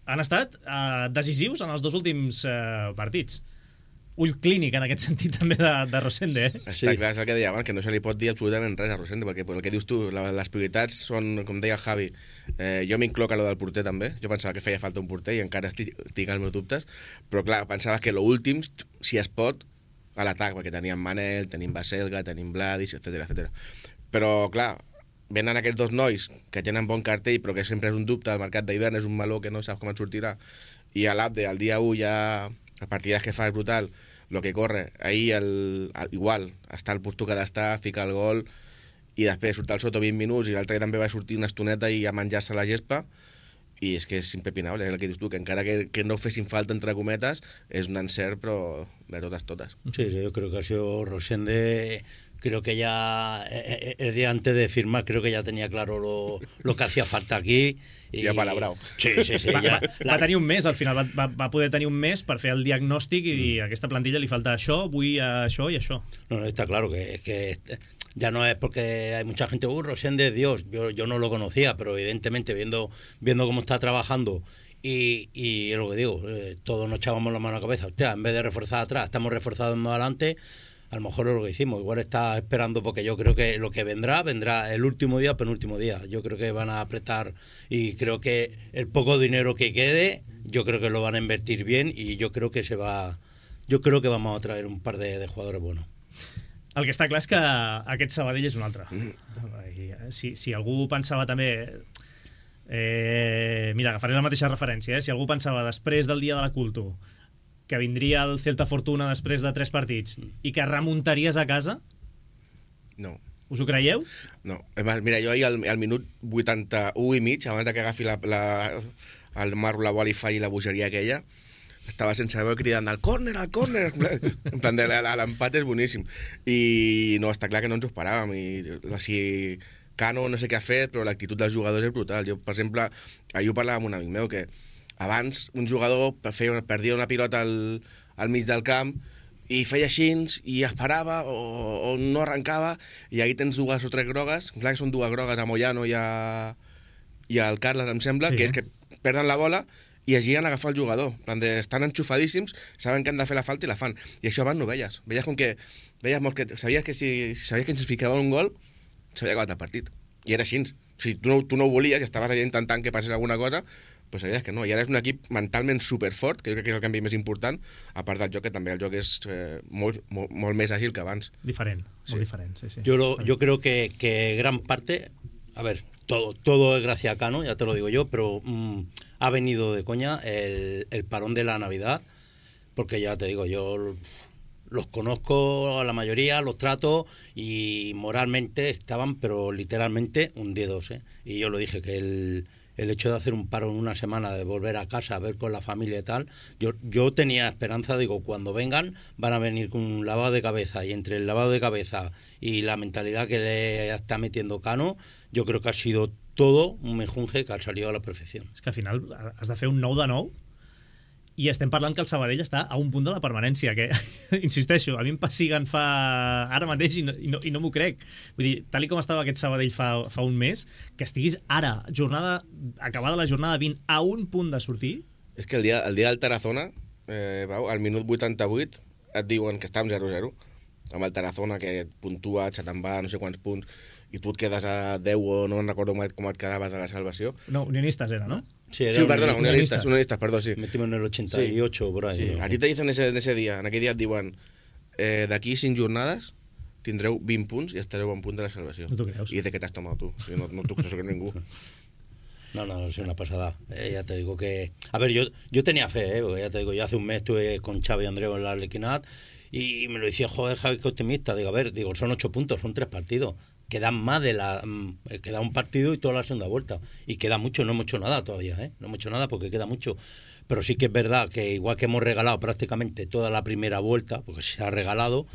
Speaker 2: han estat decisius en els 2 últims partits. Ull clínic en aquest sentit també de Rosende.
Speaker 7: Està clar, és el que deia abans, que no se li pot dir absolutament res a Rosende, perquè el que dius tu, les prioritats són, com deia el Javi, jo m'incloc a lo del porter també, jo pensava que feia falta un porter i encara tinc els meus dubtes, però clar, pensava que l'últim, si es pot, a l'atac, perquè teníem Manel, tenim Baselga, tenim Vladis, etc. Però clar, venen aquests 2 nois que tenen bon cartell, però que sempre és un dubte, el mercat d'hivern és un meló que no saps com et sortirà, i a l'Abde, el dia 1 ja... a partides que fa és brutal, lo que corre, ahir igual, està al puesto que ha d'estar, fica el gol, i després surt al Soto 20 minuts, i l'altre també va sortir una estoneta i a menjar-se la gespa, i és que és impepinable, és el que dius tu, que encara que no fessin falta, entre cometes, és un encert, però de totes.
Speaker 8: Sí, yo creo que ha sido Rosende, creo que ya, el día antes de firmar, creo que ya tenía claro lo que hacía falta aquí,
Speaker 7: ja palabrau.
Speaker 8: Sí.
Speaker 2: Va tenir un mes, al final va poder tenir un mes per fer el diagnòstic i dir a aquesta plantilla li falta això, vull això i això.
Speaker 8: No, está claro que ya no es porque hay mucha gente, Rosende es Dios, yo no lo conocía, pero evidentemente viendo cómo está trabajando y es lo que digo, todos nos echábamos la mano a la cabeza, hostia, en vez de reforzar atrás, estamos reforzando adelante, a lo mejor es lo que hicimos, igual está esperando, porque yo creo que lo que vendrá el último día o penúltimo día. Yo creo que van a apretar y creo que el poco dinero que quede, yo creo que lo van a invertir bien y yo creo que vamos a traer un par de jugadores buenos.
Speaker 2: El que està clar és que aquest Sabadell és un altre. Si algú pensava també... mira, agafaré la mateixa referència. Si algú pensava després del dia de la Culto que vindria el Celta Fortuna després de 3 partits i que remuntaries a casa...
Speaker 7: No.
Speaker 2: Us ho creieu?
Speaker 7: No. Mira, jo ahir al minut 81 i mig, abans que agafi el Marro, la bola i falli la bogeria aquella, estava sense veu cridant al córner, al córner. En plan, l'empat és boníssim. I no, està clar que no ens ho esperàvem. I Cano no sé què ha fet, però l'actitud dels jugadors és brutal. Jo, per exemple, ahir ho parlava amb un amic meu, que abans un jugador perdia una pilota al mig del camp i feia així i esperava o no arrencava, i ahir tens 2 o 3 grogues, clar que són 2 grogues a Moyano i al Carles, em sembla, sí, que és que perden la bola i es giren a agafar el jugador. Estan enxufadíssims, saben que han de fer la falta i la fan. I això abans no ho veies. Veies sabies que si ens ficava un gol, s'havia acabat el partit. I era així. Si tu no ho volies i estaves allà intentant que passés alguna cosa, pues sabies que no. I ara és un equip mentalment superfort, que jo crec que és el canvi més important, a part del joc, que també el joc és molt més àgil que abans.
Speaker 2: Diferent, molt diferent, sí.
Speaker 8: Yo creo que gran parte, a ver, todo es gracias a Cano, ya te lo digo yo, pero ha venido de coña el parón de la Navidad, porque ya te digo, yo los conozco a la mayoría, los trato y moralmente estaban, pero literalmente hundidos, ¿eh? Y yo lo dije, que el hecho de hacer un paro en una semana, de volver a casa, a ver con la familia y tal, yo tenía esperanza, digo, cuando vengan van a venir con un lavado de cabeza, y entre el lavado de cabeza y la mentalidad que le está metiendo Cano, yo creo que ha sido todo un mejunje que ha salido a la perfecció.
Speaker 2: És que al final has de fer un 9 de 9 i estem parlant que el Sabadell està a un punt de la permanència, que, insisteixo, a mi em pessiguen ara mateix i no m'ho crec. Vull dir, tal com estava aquest Sabadell fa un mes, que estiguis ara, acabada la jornada 20, a un punt de sortir...
Speaker 7: És que el dia del Tarazona, al minut 88, et diuen que estàvem 0-0, amb el Tarazona, que puntua, se te'n va no sé quants punts, i tu et quedes a 10 o no recordo com et quedaves de la salvació.
Speaker 2: No, Unionistas era, ¿no?
Speaker 7: Sí, perdona, Unionistas, perdó, sí.
Speaker 8: Metimos en el 88, sí, por ahí.
Speaker 7: Sí.
Speaker 8: ¿No?
Speaker 7: A ti te dicen en aquell dia et diuen d'aquí 5 jornades tindreu 20 punts i estareu a un punt de la salvació.
Speaker 2: No t'ho creus.
Speaker 7: I de què t'has tomat tu? No t'ho creus ningú.
Speaker 8: No, es una pasada. Ya te digo que... A ver, yo tenía fe, porque ya te digo, yo hace un mes estuve con Xavi y Andreu en la Arlequinat y me lo decía, joder, Javi, qué optimista. Digo, a ver, son 8 puntos, son 3 partidos. Queda un partido y toda la segunda vuelta. Y queda mucho, no hemos hecho nada todavía, ¿eh? No hemos hecho nada porque queda mucho. Pero sí que es verdad que igual que hemos regalado prácticamente toda la primera vuelta, porque se ha regalado,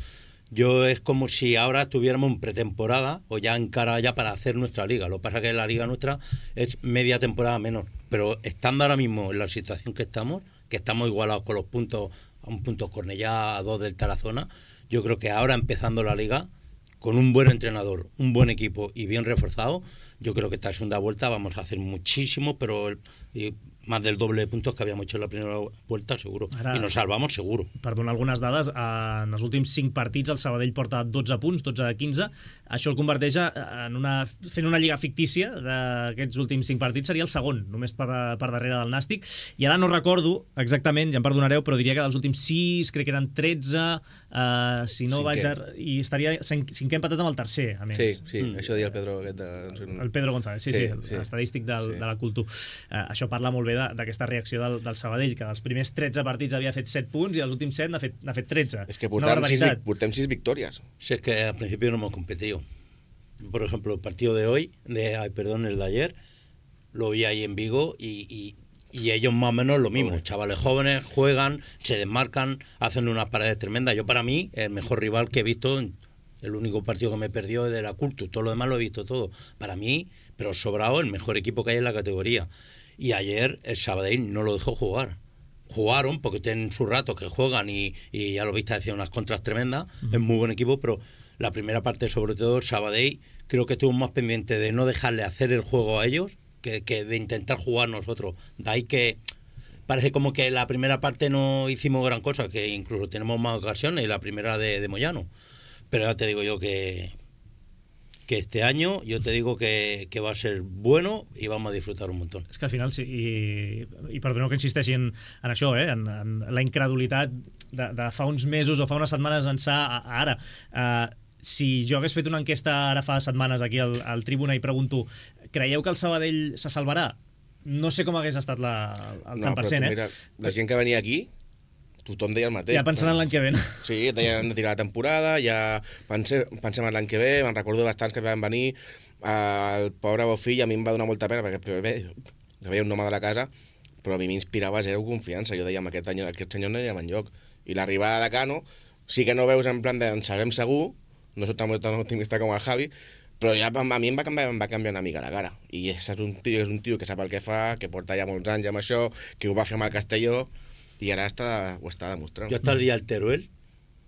Speaker 8: es como si ahora estuviéramos en pretemporada o ya en cara ya para hacer nuestra liga. Lo que pasa es que la liga nuestra es media temporada menor. Pero estando ahora mismo en la situación que estamos igualados con los puntos, a un punto Cornellá, a 2 del Tarazona, yo creo que ahora empezando la liga, con un buen entrenador, un buen equipo y bien reforzado, yo creo que esta segunda vuelta vamos a hacer muchísimo, pero más del doble de puntos que habíamos hecho en la primera vuelta, seguro. I nos salvamos, seguro.
Speaker 2: Per donar algunes dades, en els últims 5 partits el Sabadell porta 12 punts, 12 de 15. Això el converteix en fent una lliga fictícia d'aquests últims 5 partits, seria el segon, només per darrere del Nàstic. I ara no recordo exactament, ja em perdonareu, però diria que dels últims 6, crec que eren 13, si no vaig... I estaria 5è empatat amb el tercer, a més.
Speaker 7: Sí, això deia el Pedro.
Speaker 2: El Pedro González, sí, l'estadístic de la Cultura. Això parla molt bé d'aquesta reacció del Sabadell, que dels primers 13 partits havia fet 7 punts i els últims 7 n'ha fet 13.
Speaker 7: Es que portem 6 victorias.
Speaker 8: Sí, es que al principio no hemos competido. Por ejemplo, el partido de hoy, el de ayer, lo vi ahí en Vigo y ellos más o menos lo mismo. Chavales jóvenes, juegan, se desmarcan, hacen unas paredes tremendas. Yo, para mí, el mejor rival que he visto, el único partido que me perdió es de la Cultura, todo lo demás lo he visto todo. Para mí, pero sobrado, el mejor equipo que hay en la categoría. Y ayer el Sabadell no lo dejó jugar. Jugaron porque tienen sus ratos que juegan y ya lo viste, hacían unas contras tremendas. Es muy buen equipo, pero la primera parte, sobre todo, el Sabadell, creo que estuvo más pendiente de no dejarle hacer el juego a ellos que de intentar jugar nosotros. De ahí que parece como que la primera parte no hicimos gran cosa, que incluso tenemos más ocasiones, la primera de Moyano. Pero ya te digo yo que este año yo te digo que va a ser bueno i vam a disfrutar un montón.
Speaker 2: És que al final, sí, i perdoneu que insisteixi en això, en la incredulitat de fa uns mesos o fa unes setmanes ençà a ara. Si jo hagués fet una enquesta ara fa setmanes aquí al Tribuna i pregunto, creieu que el Sabadell se salvarà? No sé com hagués estat el tant per cent,
Speaker 7: Mira, la gent que venia aquí tothom deia el mateix.
Speaker 2: Ja pensant en l'any que ve.
Speaker 7: Sí, deien de tirar la temporada, ja pensem en l'any que ve, me'n recordo bastants que van venir, el pobre Bofill a mi em va donar molta pena, perquè bé, veia un home de la casa, però a mi m'inspirava zero confiança, jo deia, aquest senyor no hi ha enlloc, i l'arribada de Cano, sí que no veus en plan de en sabem segur, no soc tan optimista com el Javi, però ja a mi em va canviar una mica la cara, i és un tio que sap el que fa, que porta ja molts anys amb això, que ho va fer amb el Castelló, y ahora ho está demostrando.
Speaker 8: Yo hasta el día del Teruel,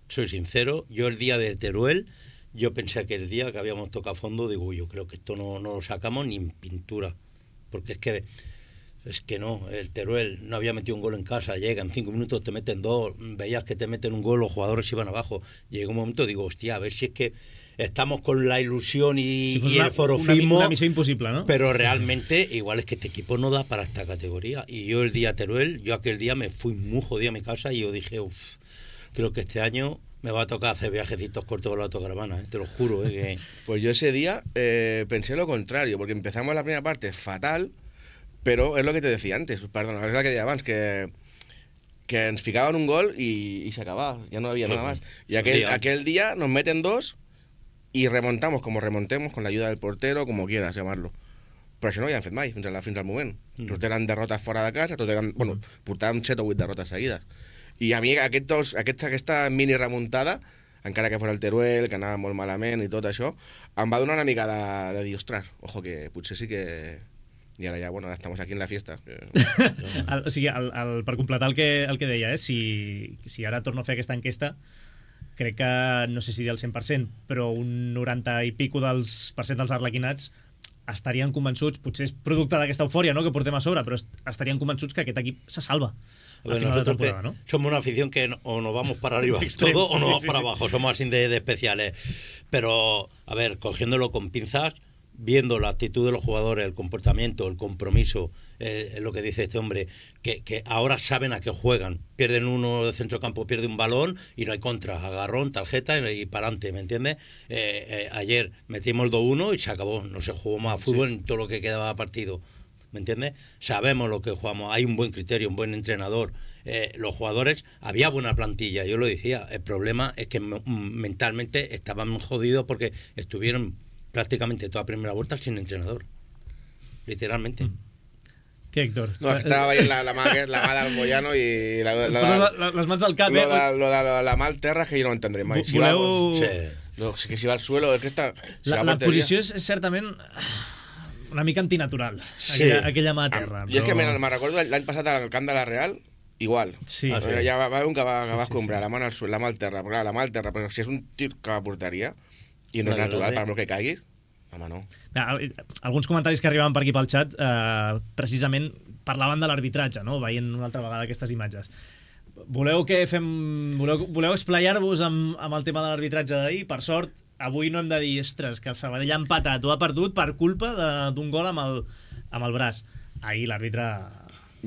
Speaker 8: soy sincero, yo el día del Teruel, yo pensé aquel día que habíamos tocado fondo, digo, yo creo que esto no lo sacamos ni en pintura, porque es que no, el Teruel no había metido un gol en casa, llega en 5 minutos, te meten 2, veías que te meten un gol, los jugadores iban abajo, llegó un momento, digo, hostia, a ver si es que estamos con la ilusión y el forofismo,
Speaker 2: una misión imposible, ¿no?
Speaker 8: Pero realmente igual es que este equipo no da para esta categoría, y yo el día Teruel, yo aquel día me fui muy jodido a mi casa y yo dije, creo que este año me va a tocar hacer viajecitos cortos con la autocaravana, te lo juro. Que...
Speaker 7: Pues yo ese día pensé lo contrario, porque empezamos la primera parte fatal, pero es lo que te decía antes, perdón, es lo que decía antes, que ens ficaven un gol y se acababa, ya no había nada más. Y aquel día nos meten 2 y remontamos como remontemos, con la ayuda del portero, como quieras llamarlo. Però això no ho havien fet mai, fins al moment. Tot eren derrotes fora de casa, portàvem 7 o 8 derrotes seguides. I a mi aquesta mini remuntada, encara que fos el Teruel, que anava molt malament i tot això, em va donar una mica de dir, ostres, ojo, que potser sí que... I ara ja, bueno, ara estamos aquí en la fiesta.
Speaker 2: O sigui, per completar el que deia, si ara torno a fer aquesta enquesta, crec que, no sé si del 100%, però un 90 i pico dels arlequinats estarien convençuts, potser és producte d'aquesta eufòria, ¿no?, que portem a sobre, però estarien convençuts que aquest equip se salva al final de la temporada, ¿no?
Speaker 8: Somos una afición que o nos vamos para arriba todo o nos vamos para abajo, somos así de especiales. Pero, a ver, cogiéndolo con pinzas, viendo la actitud de los jugadores, el comportamiento, el compromiso, lo que dice este hombre, que ahora saben a qué juegan. Pierden uno de centrocampo, pierde un balón y no hay contra, agarrón, tarjeta y para adelante, ¿me entiendes? Ayer metimos el 2-1 y se acabó, no se jugó más fútbol en todo lo que quedaba partido, ¿me entiendes? Sabemos lo que jugamos, hay un buen criterio, un buen entrenador. Los jugadores, había buena plantilla, yo lo decía, el problema es que mentalmente estaban jodidos porque estuvieron prácticamente toda primera vuelta sin entrenador, literalmente.
Speaker 2: Què, Héctor?
Speaker 7: No, estava veient la mà del Moyano i...
Speaker 2: les mans al cap,
Speaker 7: Lo de la mà al terra que jo no ho entendré mai.
Speaker 2: Voleu...
Speaker 7: Que si va al suelo...
Speaker 2: La posició és certament una mica antinatural, aquella mà a terra.
Speaker 7: I és que me'n recordo l'any passat al camp de la Real, igual.
Speaker 2: Sí.
Speaker 7: Ja va haver un que va escombrar la mà al terra, però la mà al terra, però si és un tir que portaria i no és natural, per molt que caigui, home, no.
Speaker 2: Alguns comentaris que arribaven per aquí pel xat precisament parlaven de l'arbitratge, no? Veient una altra vegada aquestes imatges. Voleu esplaiar-vos amb el tema de l'arbitratge d'ahir? Per sort, avui no hem de dir, ostres, que el Sabadell ha empatat o ha perdut per culpa d'un gol amb el braç. Ahir l'àrbitre...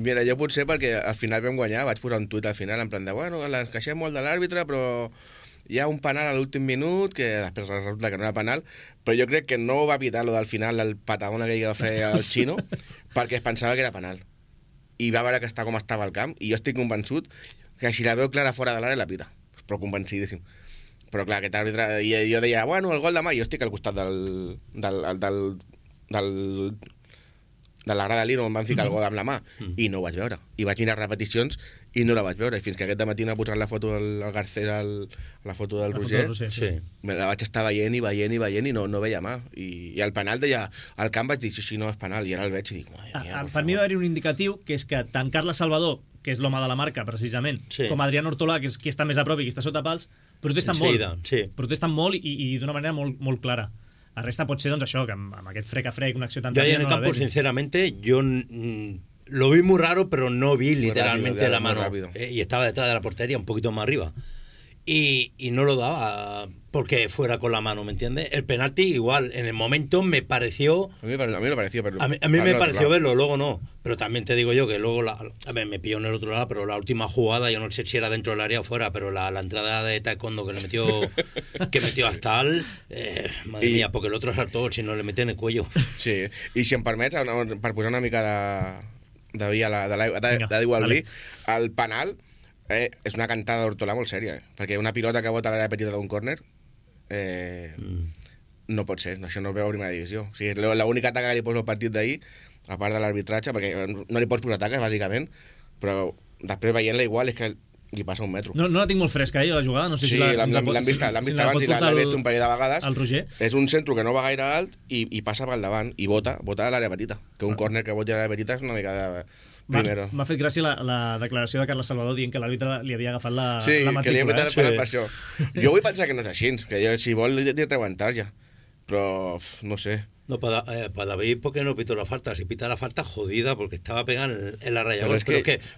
Speaker 7: Mira, jo potser perquè al final vam guanyar, vaig posar un tuit al final en plan de, bueno, ens queixem molt de l'àrbitre, però hi ha un penal a l'últim minut, que després resulta que no era penal, però jo crec que no va pitar lo del final, el patadón que va fer el Xino, perquè es pensava que era penal. I va veure que com estava el camp, i jo estic convençut que si la veu clara fora de l'àrea la pita, però convencidíssim. Però clar, aquest àrbitre... I jo deia, bueno, el gol demà, jo estic al costat de la grada on em van ficar el gol amb la mà, i no ho vaig veure. I vaig mirar repeticions i no la vaig veure. I fins que aquest matí m'ha posat la foto del Garcés, la foto del Roger, me la vaig estar veient i no veia mà. I el penal deia, al camp vaig dir, sí, no és penal, i ara el veig i dic,
Speaker 2: per mi va haver un indicatiu, que és que tant Carles Salvador, que és l'home de la marca, precisament, com Adrián Ortolà, que és qui està més a prop i qui està sota pals, protesten molt i d'una manera molt clara. La resta pot ser, doncs, això, que amb aquest frec a frec, una acció tan...
Speaker 8: Yo ahí en el campo, sinceramente, yo lo vi muy raro, pero no vi literalmente
Speaker 7: rápido,
Speaker 8: la
Speaker 7: muy
Speaker 8: mano.
Speaker 7: rápido.
Speaker 8: Y estaba detrás de la portería, un poquito más arriba. Y no lo daba porque fuera con la mano, ¿me entiendes? El penalti igual, en el momento me pareció...
Speaker 7: A mí me pareció, pero...
Speaker 8: A mí me pareció verlo, luego no. Pero también te digo yo que luego, a ver, me pilló en el otro lado, pero la última jugada, yo no sé si era dentro del área o fuera, pero la entrada de Taekwondo que le metió hasta al... madre mía, porque el otro saltó, si no le mete en el cuello.
Speaker 7: Sí, i si em permets, per posar una mica de vi d'igual vi, el penal és una cantada d'Hortolà molt sèria, perquè una pilota que bota a l'àrea petita d'un córner no pot ser, això no es veu a primera divisió. O sigui, l'única taca que li poso al partit d'ahir, a part de l'arbitratge, perquè no li pots posar taques, bàsicament, però després veient-la igual és que li passa un metro.
Speaker 2: No la tinc molt fresca, la jugada. No sé si
Speaker 7: l'han vist abans i l'han vist un parell de vegades.
Speaker 2: El Roger.
Speaker 7: És un centre que no va gaire alt i passa pel davant i bota a l'àrea petita. Que un córner que voti a l'àrea petita és una mica de...
Speaker 2: M'ha fet gràcia la declaració de Carles Salvador dient que l'àrbitre li havia agafat la
Speaker 7: matrícula. Sí, que li havia agafat per això. Jo vull pensar que no és així, que si vol li treuen tarja, però no sé.
Speaker 8: No, para David, ¿por qué no pitó la falta? Si pita la falta, jodida, porque estaba pegada en la raya.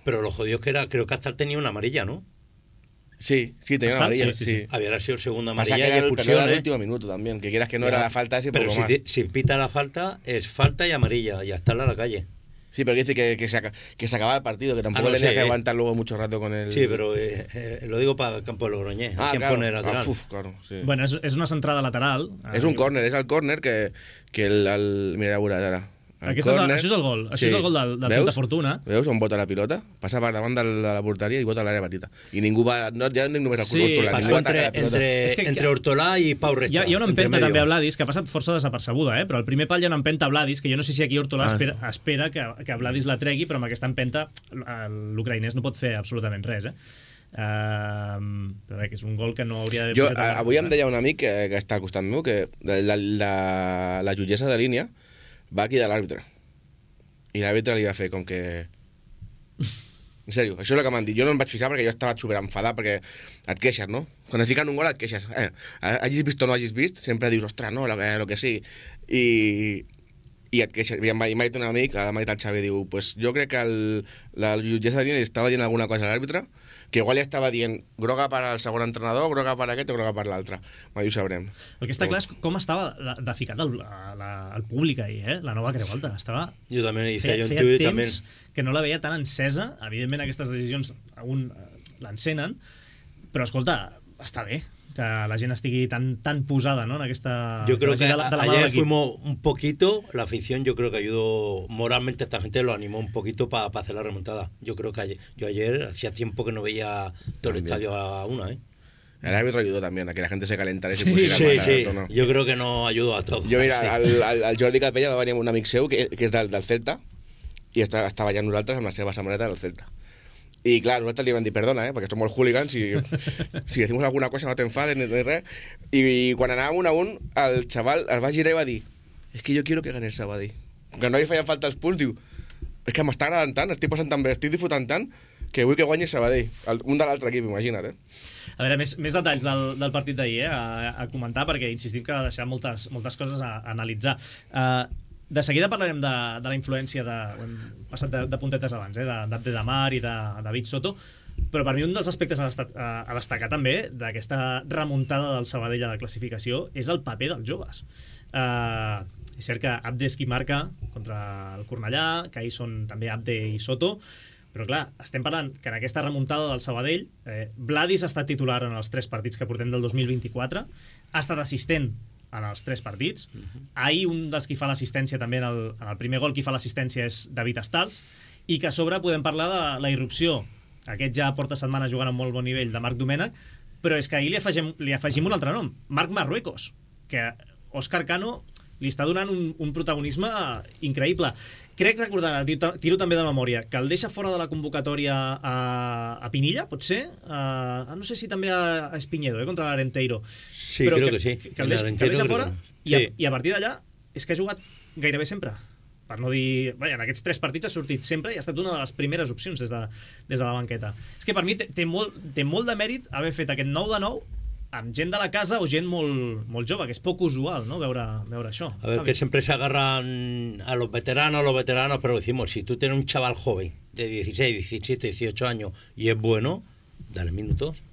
Speaker 8: Pero lo jodido es que era, creo que hasta tenía una amarilla, ¿no?
Speaker 7: Sí, tenía una amarilla. Sí.
Speaker 8: Había sido segunda amarilla y
Speaker 7: expulsión.
Speaker 8: Pero
Speaker 7: era el último minuto también, que quieras que no era la falta así,
Speaker 8: pero si pita la falta, es falta y amarilla, y hasta en la calle.
Speaker 7: Sí, pero dice que se acababa el partido, que tampoco tenía que aguantar luego mucho rato con el...
Speaker 8: Sí, pero lo digo para el campo de Logroñés. ¿Quién pone el lateral?
Speaker 7: Claro, sí.
Speaker 2: Bueno, és una centrada lateral.
Speaker 7: És un córner, és el córner que mira, ja veuràs ara.
Speaker 2: Això és el gol. Això és el gol del Santa Fortuna.
Speaker 7: Veus on bota la pilota? Passa per davant de la porteria i bota a l'àrea petita. I ningú va... Ja només el Hortolà.
Speaker 8: Passó entre Hortolà i Pau Resta.
Speaker 2: Hi ha una empenta també a Vladis, que ha passat força desapercebuda, però al primer pal hi ha una empenta a Vladis, que jo no sé si aquí Hortolà espera que Vladis la tregui, però amb aquesta empenta l'ucraïnès no pot fer absolutament res, però bé, que és un gol que no hauria d'haver posat...
Speaker 7: Avui em deia un amic que està al costat meu que la jutgessa de línia va aquí de l'àrbitre i l'àrbitre li va fer com que... En sèrio, això és el que m'han dit. Jo no em vaig fixar perquè jo estava superenfadat, perquè et queixes, no? Quan et fiquen un gol et queixes. Hagis vist o no hagis vist, sempre dius, ostres, no, lo que sí. I et queixes. I m'ha dit un amic, m'ha dit el Xavi, diu, pues jo crec que la jutgessa de línia li estava dient alguna cosa a l'àrbitre, que igual li estava dient groga per al segon entrenador, groga per aquest o groga per l'altre. Mai ho sabrem.
Speaker 2: El que està clar és com estava de ficat el públic ahir, la nova Creu Alta.
Speaker 8: Jo també
Speaker 2: feia temps que no la veia tan encesa. Evidentment aquestes decisions l'encenen, però escolta, està bé que la gent estigui tan posada, ¿no? En aquesta...
Speaker 8: Yo creo que ayer fuimos un poquito, la afición yo creo que ayudó moralmente a esta gente, lo animó un poquito para hacer la remontada. Yo creo que ayer hacía tiempo que no veía todo el estadio a una, El
Speaker 7: árbitro ayudó también a que la gente se calentara y se
Speaker 8: pusiera sí. Tono. Yo creo que no ayudó a todos.
Speaker 7: Yo mira, al Jordi Capella va venir un amic seu que és del Celta i estava allà nosaltres amb la seva samarreta del Celta. I clar, nosaltres li vam dir perdona, perquè som molt hooligans i si decimos alguna cosa no t'enfades ni res. I quan anàvem 1-1, el xaval es va girar i va dir es que yo quiero que gane el Sabadell. Que no li feien falta els punts, diu és que m'està agradant tant, estic passant tan bé, estic disfrutant tant que vull que guanyi el Sabadell. Un de l'altre equip, imagina't,
Speaker 2: A veure, més detalls del partit d'ahir, a comentar, perquè insistim que ha deixat moltes coses a analitzar. De seguida parlarem de la influència hem passat de puntetes abans, d'Abde Damar i de David Soto, però per mi un dels aspectes a destacar també d'aquesta remuntada del Sabadell a la classificació és el paper dels joves. És cert que Abde és qui marca contra el Cornellà, que ahir són també Abde i Soto, però clar, estem parlant que en aquesta remuntada del Sabadell Vladis ha estat titular en els 3 partits que portem del 2024, ha estat assistent en els 3 partits. Ahir un dels qui fa l'assistència també en el primer gol, qui fa l'assistència és David Estals, i que a sobre podem parlar de la irrupció, aquest ja porta setmanes jugant a molt bon nivell, de Marc Domènech, però és que ahir li afegim un altre nom, Marc Marruecos, que Òscar Cano li està donant un protagonisme increïble. Crec recordar, tiro també de memòria, que el deixa fora de la convocatòria a Pinilla, pot ser? No sé si també a Espiñedo, contra l'Arenteiro.
Speaker 8: Sí, però crec que sí.
Speaker 2: Que el deixa fora i a partir d'allà és que ha jugat gairebé sempre. Per no dir... en aquests 3 partits ha sortit sempre i ha estat una de les primeres opcions des de la banqueta. És que per mi té molt de mèrit haver fet aquest 9-9 amb gent de la casa o gent molt, molt jove, que és poc usual, ¿no? veure això.
Speaker 8: A ver, que siempre se agarran a los veteranos, pero decimos, si tú tienes un chaval joven de 16, 17, 18 años y es bueno, dale minutos,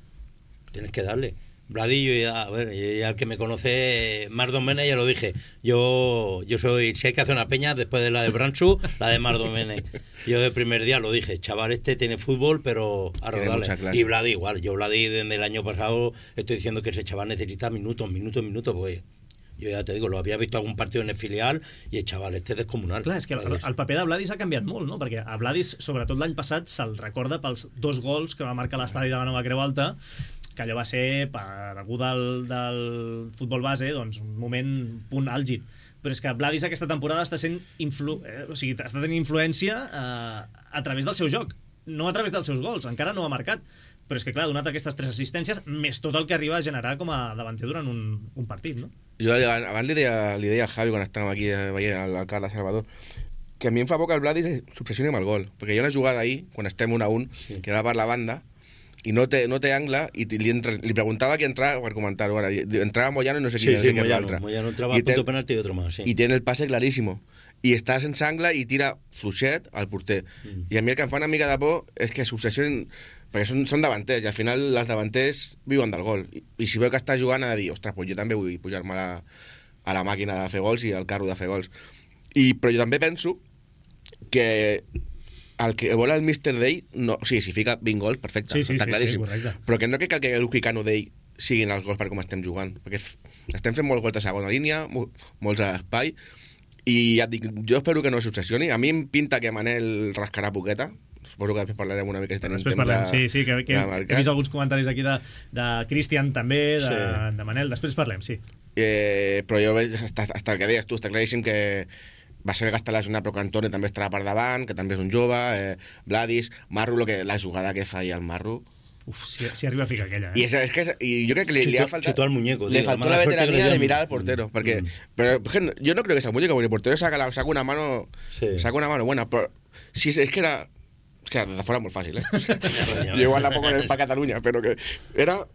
Speaker 8: tienes que darle. Bladillo, ya el que me conoce, Mardo Mene, ya lo dije. Yo soy, si hay que hacer una peña, después de la de Bransu, la de Mardo Mene. Yo de primer día lo dije, chaval, este tiene fútbol, pero a rodarle. Y Bladi igual, yo Bladi desde el año pasado estoy diciendo que ese chaval necesita minutos, porque jo ja te digo, lo había visto algun partit en el filial i el xaval este és descomunal.
Speaker 2: Clar, és que el paper de Vladis ha canviat molt, no? Perquè a Vladis, sobretot l'any passat, se'l recorda pels 2 gols que va marcar l'estadi de la Nova Creu Alta, que allò va ser, per algú del futbol base, doncs un moment, punt àlgid. Però és que Vladis aquesta temporada està tenint influència a través del seu joc, no a través dels seus gols, encara no ha marcat. Però és que, clar, ha donat aquestes 3 assistències, més tot el que arriba a generar com a davanter durant un partit, no?
Speaker 7: Jo abans li deia al Javi, quan estàvem aquí veient el Carles Salvador, que a mi em fa por que el Vladis s'obsessioni amb el gol. Perquè hi ha una jugada ahir, quan estem 1-1, que va per la banda, i no té angle, i li preguntava qui entrava per comentar-ho. Entrava Moyano i no sé qui era l'altre.
Speaker 8: Moyano entrava a punto penalti i otro más, sí.
Speaker 7: I tiene el pase clarísimo. I està sense angle i tira fluixet al porter. I a mi el que em fa una mica de por és que s'obsessionin, perquè són davanters, i al final els davanters viuen del gol. I si veu que està jugant ha de dir, ostres, pues jo també vull pujar-me a la màquina de fer gols i al carro de fer gols. Però jo també penso que el que vol el Mr. Day, no, o sigui, si fica 20 gols, perfecte, està claríssim. Però que no crec que el Luquicano Day siguin els gols per com estem jugant, perquè estem fent molts gols de segona línia, molts a l'espai, i ja et dic, jo espero que no s'obsessioni. A mi em pinta que Manel rascarà poqueta, suposo que després parlarem una mica si tenim temps
Speaker 2: sí, que he vist alguns comentaris aquí de Cristian també, de Manel, després parlem, sí.
Speaker 7: Però jo veig, hasta el que deies tu, està claríssim que va ser que està lesionat, però que Antoni també estarà per davant, que també és un jove, Vladis, Marro, la jugada que fa ahir el Marro.
Speaker 2: Uf, si arriba a ficar aquella,
Speaker 7: I jo crec que li ha faltat...
Speaker 8: Chutó al muñeco.
Speaker 7: Le faltó la veteranía de mirar al portero, perquè... Pero yo no creo que sea muñeco, porque el portero saca una mano buena, pero si es que era... Es que desde fuera muy fácil, Yo igual la pongo para Cataluña, pero que era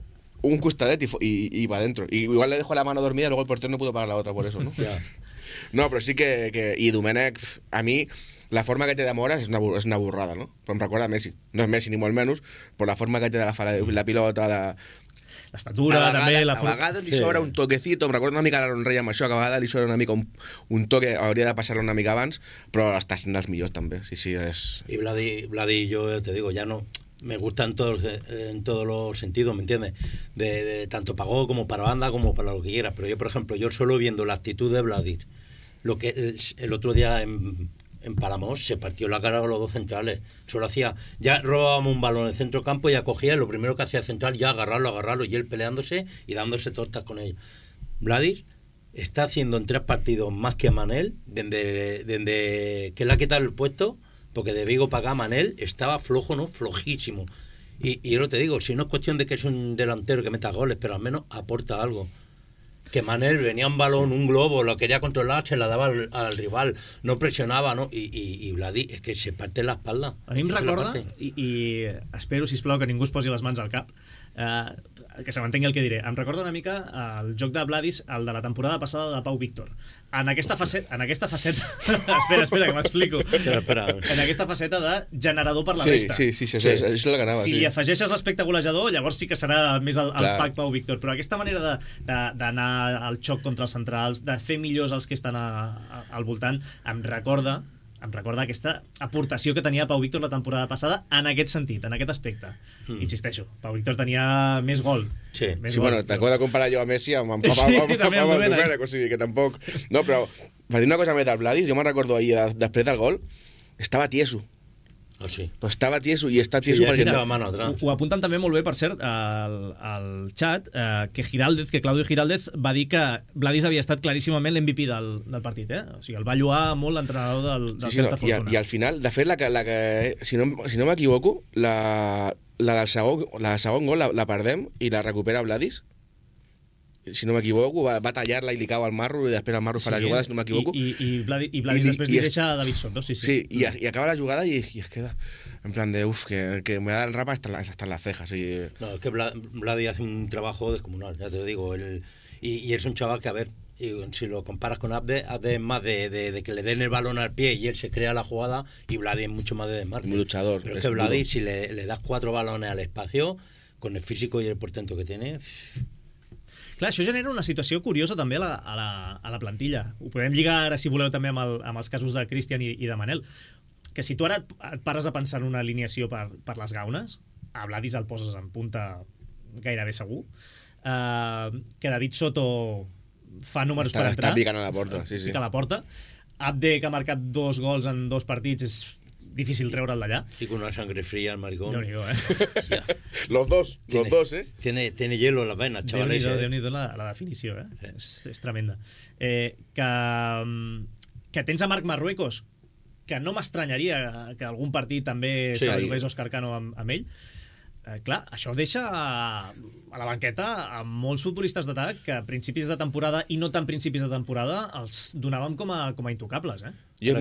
Speaker 7: un costadet y va adentro. Y igual le dejó la mano dormida y luego el portero no pudo parar la otra por eso, ¿no? No, però sí que... I Domènech, a mi... La forma que té de moure és una borrada, no? Però em recorda a Messi. No és Messi ni molt menys, però la forma que té d'agafar la pilota,
Speaker 2: l'estatura, també...
Speaker 7: A vegades li sobra un toquecito, em recorda una mica l'Aaron Rey amb això, que a vegades li sobra una mica un toque, hauria de passar-lo una mica abans, però està sent dels millors també, sí, és...
Speaker 8: Y Vladi, yo te digo, ya no... Me gusta en todos los sentidos, ¿me entiendes? De tanto para gol como para banda, como para lo que quieras. Pero yo, por ejemplo, yo solo viendo la actitud de Vladi, lo que el otro día en Palamos se partió la cara con los 2 centrales. Solo hacía, ya robábamos un balón en el centro campo y ya cogía, lo primero que hacía el central ya agarrarlo, y él peleándose y dándose tortas con ellos. Vladis está haciendo en 3 partidos más que Manel, desde que le ha quitado el puesto, porque de Vigo para acá Manel estaba flojo, ¿no? Flojísimo. Y yo no te digo, si no es cuestión de que es un delantero que meta goles, pero al menos aporta algo. Que Manel venía un balón, un globo, lo quería controlar, se la daba al rival, no presionava, no? I Vladi, és que se parte la espalda.
Speaker 2: A mi em recorda, i espero, sisplau, que ningú es posi les mans al cap, que se m'entengui el que diré. Em recorda una mica el joc de Vladis, el de la temporada passada de Pau Víctor. En aquesta faceta espera, que m'explico. En aquesta faceta de generador per la resta.
Speaker 7: Sí, és la que anava.
Speaker 2: Si afegeixes l'aspecte golejador, llavors sí que serà més el pack Pau Víctor, però aquesta manera d'anar al xoc contra els centrals, de fer millors els que estan al voltant, em recorda aquesta aportació que tenia Pau Víctor la temporada passada en aquest sentit, en aquest aspecte. Insisteixo, Pau Víctor tenia més gol.
Speaker 7: Sí, bueno, t'acabo de comparar jo a Messi amb el Domènech, o sigui que tampoc... No, però per dir una cosa més del Vladis, jo me'n recordo ahir, després del gol, estava tieso.
Speaker 8: Oh, sí.
Speaker 7: Però estava tieso i està tieso perquè...
Speaker 2: Ho apunten també molt bé, per cert, al xat, que Claudio Giraldez va dir que Vladis havia estat claríssimament l'MVP del partit, O sigui, el va lloar molt l'entrenador del Celta Fortuna.
Speaker 7: I al final, de fet, si no m'equivoco, la del segon gol la perdem i la recupera Vladis. si no m'equivoco, va tallar-la i li cau al marro i després el marro fa la jugada, si no m'equivoco.
Speaker 2: I Vladis després li deixa a David Soto, sí.
Speaker 7: Sí, i acaba la jugada y es queda en plan de, que me da el rapa hasta en las cejas. Y...
Speaker 8: No, es que Vladi hace un trabajo descomunal, ya te lo digo. Y es un chaval que, a ver, y si lo comparas con Abde es más de que le den el balón al pie y él se crea la jugada, y Vladi es mucho más de desmarque.
Speaker 7: Muy luchador.
Speaker 8: Pero es que Vladi, si le das 4 balones al espacio, con el físico y el portento que tiene...
Speaker 2: Clar, això genera una situació curiosa també a la plantilla. Ho podem lligar ara, si voleu, també amb els casos de Cristian i de Manel. Que si tu ara et pares a pensar en una alineació per les gaunes, a Vladis el poses en punta gairebé segur, que David Soto fa números per entrar.
Speaker 7: Està picant a la porta, sí.
Speaker 2: Pica a la porta. Abde, que ha marcat 2 gols en 2 partits, és difícil treure'l d'allà.
Speaker 8: Y con una sangre fría el maricón.
Speaker 7: Los dos, ¿eh?
Speaker 8: Tiene hielo en las venas, chavales.
Speaker 2: Déu-n'hi-do la definició, eh? És tremenda. Que tens a Marc Marruecos, que no m'estranyaria que algun partit també se la jugués Òscar Cano amb ell. Clar, això deixa a la banqueta a molts futbolistes d'atac que a principis de temporada i no tan principis de temporada els donàvem com a intocables, eh?
Speaker 7: Jo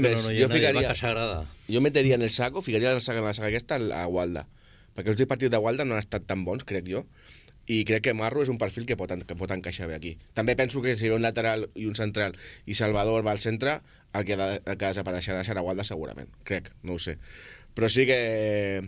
Speaker 7: meteria en el saco, ficaria en la saga aquesta a Walda, perquè els 10 partits de Walda no han estat tan bons, crec jo, i crec que Marro és un perfil que pot encaixar bé aquí. També penso que si ve un lateral i un central i Salvador va al centre, el que desapareixerà serà Walda segurament, crec, no ho sé. Però sí que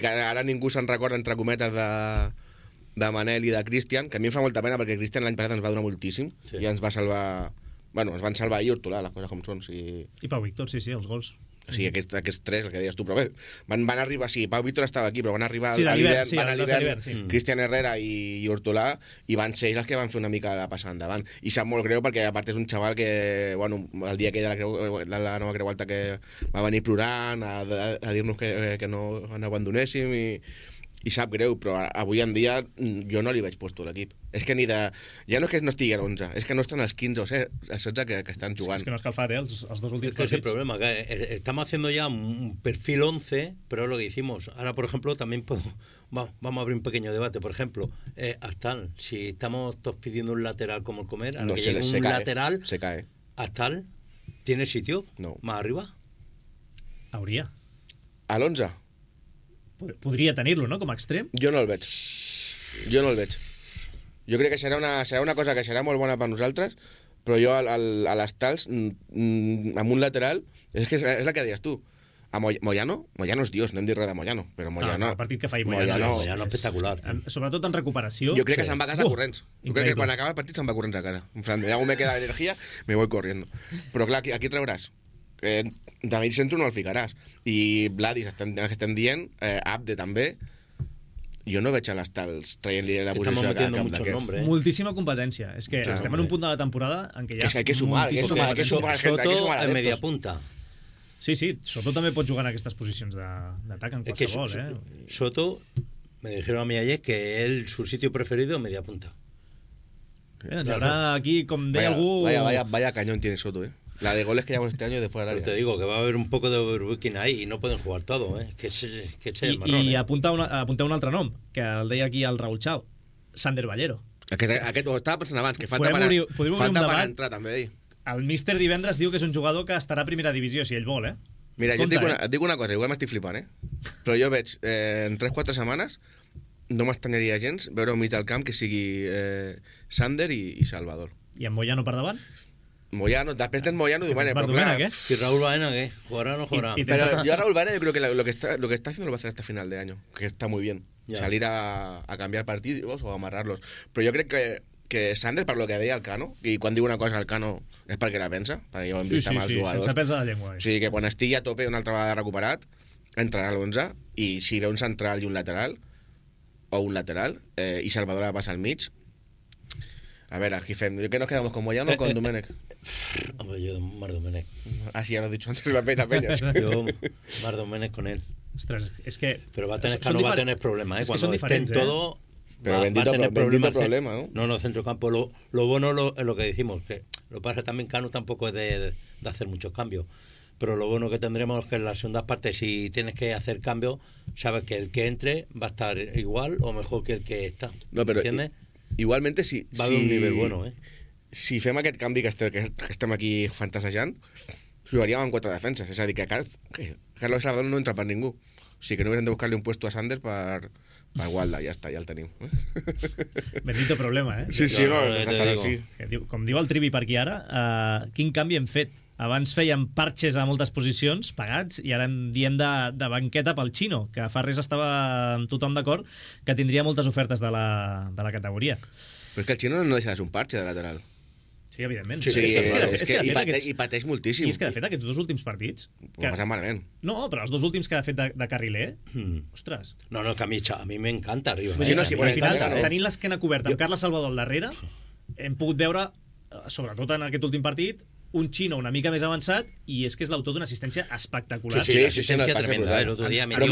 Speaker 7: ara ningú se'n recorda, entre cometes, de Manel i de Cristian, que a mi em fa molta pena perquè Cristian l'any passat ens va donar moltíssim i ens va salvar... Bueno, ens van salvar i Hortolà, les coses com són. I
Speaker 2: Pau Víctor, sí, els gols.
Speaker 7: O sigui, aquests 3, el que deies tu, però bé, van arribar, sí, Pau Víctor estava aquí, però van arribar
Speaker 2: a l'hivern,
Speaker 7: Cristian Herrera i Hortolà, i van ser ells els que van fer una mica la passada endavant. I sap molt greu perquè, a part, és un xaval que, bueno, el dia que de la nova Creu Alta, que va venir plorant a dir-nos que no ens abandonéssim, i sap greu, però avui en dia jo no li veig puesto a l'equip. És que ja no és que no estigui a 11, és que no estan els 15 o 16 que estan jugant.
Speaker 2: Sí, és que no has calfat, els 2 últims
Speaker 8: partits. Es el problema, que estamos haciendo ya un perfil 11, pero es lo que hicimos. Ahora, por ejemplo, también vamos a abrir un pequeño debate. Por ejemplo, Astal, si estamos todos pidiendo un lateral como el Comer, a lo que llegue un lateral,
Speaker 7: se cae.
Speaker 8: Astal, ¿tiene sitio?
Speaker 7: No.
Speaker 8: ¿Más arriba?
Speaker 2: Hauria.
Speaker 7: A l'11?
Speaker 2: Podria tenir-lo, no?, com a extrem.
Speaker 7: Jo no el veig. Jo crec que serà una cosa que serà molt bona per nosaltres, però jo a l'Estals, amb un lateral, és el que deies tu. A Moyano és Dios, no hem dit res de Moyano, però Moyano...
Speaker 2: El partit que fa Moyano
Speaker 8: espectacular.
Speaker 2: Sobretot en recuperació.
Speaker 7: Jo crec que se'n va a casa corrents. Jo crec que quan acaba el partit se'n va corrents a casa. En plan, ya me queda energia, me voy corriendo. Però clar, aquí trauràs. David Centro no el ficaràs. I Vladis, que estem dient, Abde també. Jo no veig a l'Estals traient-li la posició a cap d'aquests.
Speaker 2: Moltíssima competència. És que estem en un punt de la temporada en què hi ha...
Speaker 7: És que hay que sumar.
Speaker 8: Soto en media punta.
Speaker 2: Sí, Soto també pot jugar en aquestes posicions d'atac en qualsevol.
Speaker 8: Soto, me dijeron a mí ayer que su sitio preferido es media punta.
Speaker 2: Ahora aquí, com deia algú...
Speaker 7: Vaya cañón tiene Soto, La de goles que llevamos este año de fuera del área.
Speaker 8: Te digo que va a haber un poco de overbooking ahí y no pueden jugar todo, que es el marrón.
Speaker 2: I apunta un altre nom, que el deia aquí el Raúl Chao, Sander Ballero.
Speaker 7: Aquest ho estava pensant abans, que falta per entrar també.
Speaker 2: El míster divendres diu que és un jugador que estarà a primera divisió, si ell vol,
Speaker 7: Mira, jo et dic una cosa, igual m'estic flipant, però jo veig, en 3-4 setmanes, no m'estranyaria gens veure un mig del camp que sigui Sander i Salvador.
Speaker 2: I amb Moyano per davant?
Speaker 7: Moyano, després tens Moyano y
Speaker 2: Domènech,
Speaker 8: ¿Y Raúl Baena qué? ¿Jugará o no jugará?
Speaker 7: Pero yo a Raúl Baena yo creo que lo que está haciendo lo va a hacer hasta final de año, que está muy bien. Salir a cambiar partidos o a amarrarlos. Però jo crec que Sander, per lo que deia el Cano, i quan diu una cosa al Cano és perquè la pensa, perquè ja ho hem vist amb els jugadors.
Speaker 2: Sense pèls a la llengua.
Speaker 7: O sigui que quan estigui a tope una altra vegada recuperat, entrarà a l'11, i si ve un central i un lateral, i Salvador va passar al mig, a veure, aquí fem... ¿Qué nos quedamos, con Moyano o con Domènech?
Speaker 8: Hombre, yo Mar Domènech.
Speaker 7: Ah, sí, ya lo has dicho antes, la peña.
Speaker 8: Yo Mar Domènech con él.
Speaker 2: Ostras, es que...
Speaker 8: Pero va a tener problemas, Cuando estén todo...
Speaker 7: Pero bendito problema, ¿no?
Speaker 8: No, centrocampo. Lo bueno es lo que decimos, que lo que pasa también Cano tampoco es de hacer muchos cambios. Pero lo bueno que tendremos es que en las segundas partes, si tienes que hacer cambios, sabes que el que entre va a estar igual o mejor que el que está.
Speaker 7: No, pero
Speaker 8: ¿entiendes?
Speaker 7: Igualmente, si...
Speaker 8: Va d'un nivell bueno,
Speaker 7: Si fem aquest canvi que estem aquí fantasejant, jugaríem amb 4 defenses. És a dir, que Carlos Salvador no entra per ningú. O sigui que no haurem de buscar-li un puesto a Sanders per Gualda, ja està, ja el tenim.
Speaker 2: Bendito problema,
Speaker 7: Sí,
Speaker 2: Com diu el Trivi per aquí ara, quin canvi hem fet? Abans fèiem parxes a moltes posicions pagats i ara en diem de banqueta pel Xino, que fa res estava tothom d'acord que tindria moltes ofertes de la categoria.
Speaker 7: Però és que el Xino no deixa de ser un parxe de lateral.
Speaker 2: Sí, evidentment.
Speaker 7: I pateix moltíssim.
Speaker 2: I és que, de fet, aquests 2 últims partits...
Speaker 7: Ho ha passat malament.
Speaker 2: No, però els 2 últims que ha fet de carriler... Ostres.
Speaker 8: No, que a mi m'encanta arriba.
Speaker 2: Al final, tenint l'esquena coberta amb Carles Salvador al darrere, hem pogut veure, sobretot en aquest últim partit, un Xino una mica més avançat i és que és l'autor d'una assistència espectacular.
Speaker 8: Sí, l'assistència tremenda.
Speaker 7: Però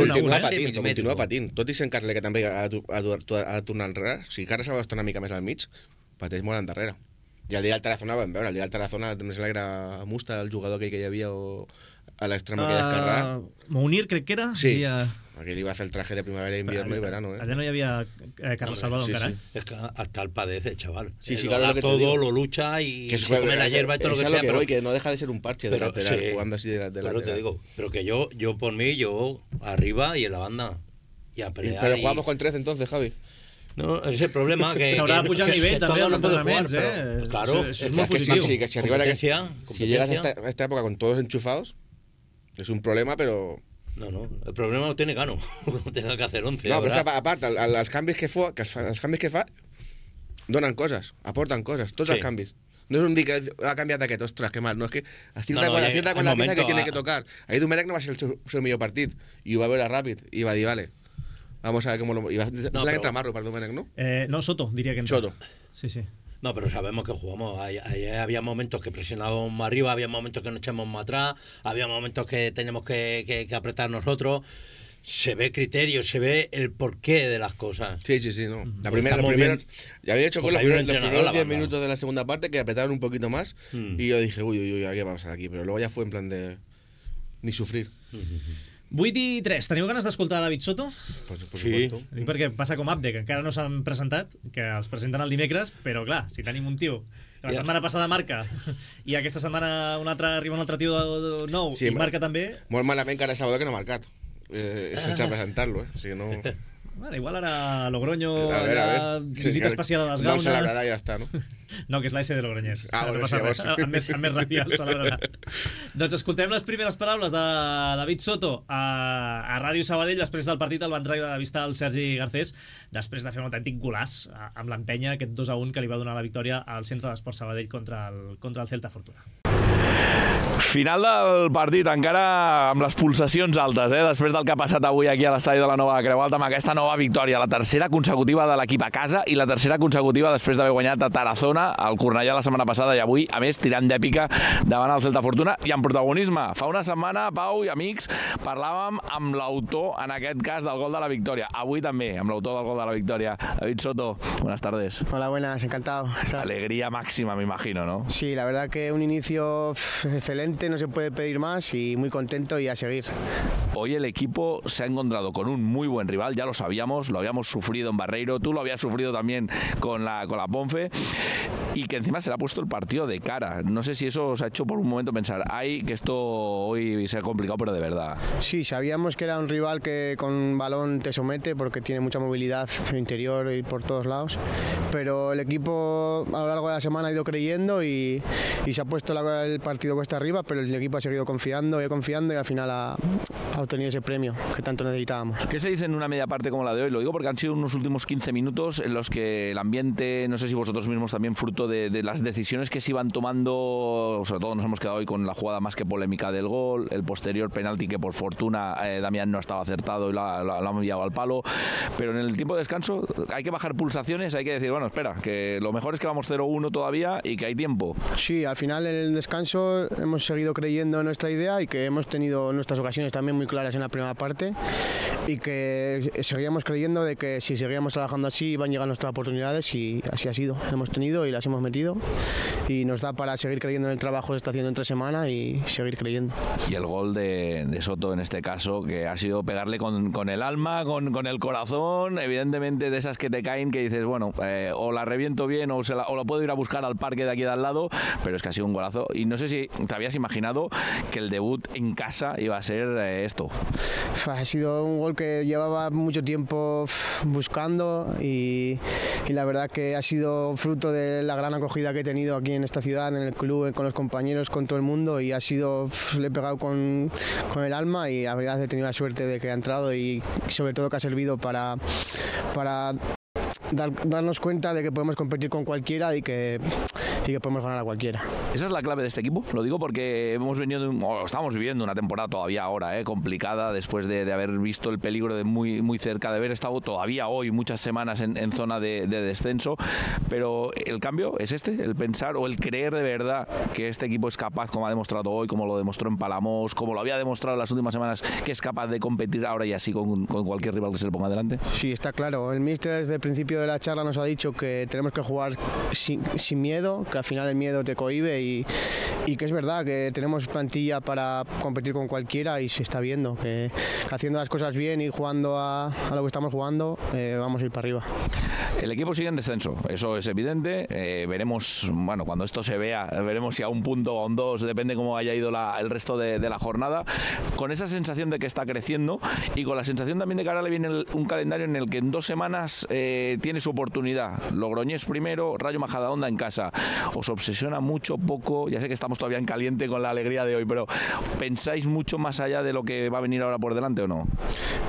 Speaker 7: continua patint. Tot i sent Carles, que també ha de tornar enrere, si Carles Salvador està una mica més al mig, pateix molt endarrere. I el dia del Tarazona vam veure, el dia del Tarazona em sembla que era Musta, el jugador que hi havia a l'extrema aquella esquerra.
Speaker 2: Mounir, crec que era?
Speaker 7: Sí, aquell li va fer el traje de primavera, invierno i verano.
Speaker 2: Allà no hi havia Carlos Salvador encara.
Speaker 8: Es que hasta el padece, chaval.
Speaker 7: Sí, claro,
Speaker 8: todo lo lucha y se come la hierba y todo lo que sea.
Speaker 7: Pero que no deja de ser un parche de lateral, jugando así de lateral.
Speaker 8: Pero te digo, pero que yo por mí, yo arriba y en la banda y a pelear.
Speaker 7: Pero jugamos con 13 entonces, Javi.
Speaker 8: No, és el problema que...
Speaker 2: S'haurà de pujar el nivell també als entrenaments,
Speaker 8: Claro.
Speaker 2: Eso es muy positivo.
Speaker 7: Sí, que si llegas a esta época con todos enchufados, es un problema, pero...
Speaker 8: No, el problema lo tiene Cano, no tenga que hacer 11.
Speaker 7: No, però a part, els canvis que fa donen coses, aporten coses, tots els canvis. No és un dir que ha canviat aquest, ostres, que mal, no, és que acierta con la pieza que tiene que tocar. Ahí Domènech no va ser el seu millor partit, i ho va veure ràpid, i va dir, vale, vamos a ver cómo lo... que entra Marro para Domènech, ¿no?
Speaker 2: No, Soto, diría que entra.
Speaker 7: Soto.
Speaker 2: Sí.
Speaker 8: No, pero sabemos que jugamos. Había momentos que presionábamos más arriba, había momentos que nos echamos más atrás, había momentos que teníamos que apretar nosotros. Se ve criterio, se ve el porqué de las cosas.
Speaker 7: Sí, no. La primera ya había hecho con los primeros 10 minutos de la segunda parte que apretaron un poquito más y yo dije, uy, ¿qué va a pasar aquí? Pero luego ya fue en plan de... ni sufrir.
Speaker 2: 8:03. Teniu ganes d'escoltar David Soto?
Speaker 7: Sí.
Speaker 2: Dic perquè passa com Abde, que encara no s'han presentat, que els presenten el dimecres, però clar, si tenim un tio que la setmana passada marca i aquesta setmana arriba un altre tio nou i marca també...
Speaker 7: Molt malament que ara Salvador que no ha marcat. Sense presentar-lo, O sigui, no...
Speaker 2: Bueno, igual ara Logroño,
Speaker 7: a ver.
Speaker 2: visita especial a les Gaunes...
Speaker 7: No el celebrarà, ja està, no?
Speaker 2: No, que és l'AS de Logroñés.
Speaker 7: Bueno,
Speaker 2: no
Speaker 7: sí,
Speaker 2: amb més ràpia el celebrarà. Doncs escoltem les primeres paraules de David Soto a Ràdio Sabadell. Després del partit el van treure de vista el Sergi Garcés, després de fer un autèntic golaç amb l'empenya, aquest 2-1 que li va donar la victòria al Centre d'Esports Sabadell contra el Celta Fortuna.
Speaker 9: Final del partit, encara amb les pulsacions altes, després del que ha passat avui aquí a l'estadi de la Nova Creu Alta, amb aquesta nova victòria, la tercera consecutiva de l'equip a casa i la tercera consecutiva després d'haver guanyat a Tarazona, al Cornellà la setmana passada i avui, a més, tirant d'èpica davant el Celta Fortuna i amb protagonisme. Fa una setmana, Pau i amics, parlàvem amb l'autor, en aquest cas, del gol de la victòria. Avui també, amb l'autor del gol de la victòria. David Soto, buenas tardes.
Speaker 10: Hola, buenas, encantado.
Speaker 9: Alegría máxima, me imagino, ¿no?
Speaker 10: Sí, la verdad que un inicio excelente, no se puede pedir más y muy contento y a seguir.
Speaker 9: Hoy el equipo se ha encontrado con un muy buen rival, ya lo sabíamos, lo habíamos sufrido en Barreiro, tú lo habías sufrido también con la Ponfe, y que encima se le ha puesto el partido de cara. No sé si eso os ha hecho por un momento pensar, ay, que esto hoy se ha complicado, pero de verdad.
Speaker 10: Sí, sabíamos que era un rival que con balón te somete porque tiene mucha movilidad interior y por todos lados, pero el equipo a lo largo de la semana ha ido creyendo y se ha puesto el partido cuesta arriba, pero el equipo ha seguido confiando y al final ha obtenido ese premio que tanto necesitábamos.
Speaker 9: ¿Qué se dice en una media parte como la de hoy? Lo digo porque han sido unos últimos 15 minutos en los que el ambiente, no sé si vosotros mismos también fruto de las decisiones que se iban tomando, sobre todo nos hemos quedado hoy con la jugada más que polémica del gol, el posterior penalti que por fortuna Damián no estaba acertado y lo ha enviado al palo, pero en el tiempo de descanso hay que bajar pulsaciones, hay que decir, bueno, espera, que lo mejor es que vamos 0-1 todavía y que hay tiempo.
Speaker 10: Sí, al final en el descanso hemos seguido creyendo en nuestra idea y que hemos tenido nuestras ocasiones también muy claras en la primera parte y que seguíamos creyendo de que si seguíamos trabajando así iban a llegar nuestras oportunidades y así ha sido. Hemos tenido y las hemos metido y nos da para seguir creyendo en el trabajo que está haciendo entre semana y seguir creyendo.
Speaker 9: Y el gol de Soto en este caso, que ha sido pegarle con el alma, con el corazón, evidentemente de esas que te caen que dices, bueno, o la reviento bien o la puedo ir a buscar al parque de aquí de al lado, pero es que ha sido un golazo. Y no sé si te habías imaginado que el debut en casa iba a ser esto.
Speaker 10: Ha sido un gol que llevaba mucho tiempo buscando y la verdad que ha sido fruto de la gran acogida que he tenido aquí en esta ciudad, en el club, con los compañeros, con todo el mundo, y ha sido, le he pegado con el alma y la verdad he tenido la suerte de que ha entrado y sobre todo que ha servido para darnos cuenta de que podemos competir con cualquiera y que podemos ganar a cualquiera.
Speaker 9: Esa es la clave de este equipo, lo digo porque estamos viviendo una temporada todavía ahora complicada, después de haber visto el peligro de muy cerca, de haber estado todavía hoy muchas semanas en zona de descenso, pero el cambio es el pensar o el creer de verdad que este equipo es capaz, como ha demostrado hoy, como lo demostró en Palamós, como lo había demostrado en las últimas semanas, que es capaz de competir ahora y así con cualquier rival que se le ponga delante.
Speaker 10: Sí, está claro. El míster desde el principio de la charla nos ha dicho que tenemos que jugar sin miedo, que al final el miedo te cohíbe y que es verdad que tenemos plantilla para competir con cualquiera y se está viendo que haciendo las cosas bien y jugando a lo que estamos jugando vamos a ir para arriba.
Speaker 9: El equipo sigue en descenso, eso es evidente. Veremos, bueno, cuando esto se vea, veremos si a un punto o a un 2, depende cómo haya ido el resto de la jornada, con esa sensación de que está creciendo y con la sensación también de que ahora le viene un calendario en el que en 2 semanas tiene su oportunidad. Logroñés primero, Rayo Majadahonda en casa. ¿Os obsesiona mucho, poco? Ya sé que estamos todavía en caliente con la alegría de hoy, pero ¿pensáis mucho más allá de lo que va a venir ahora por delante o no?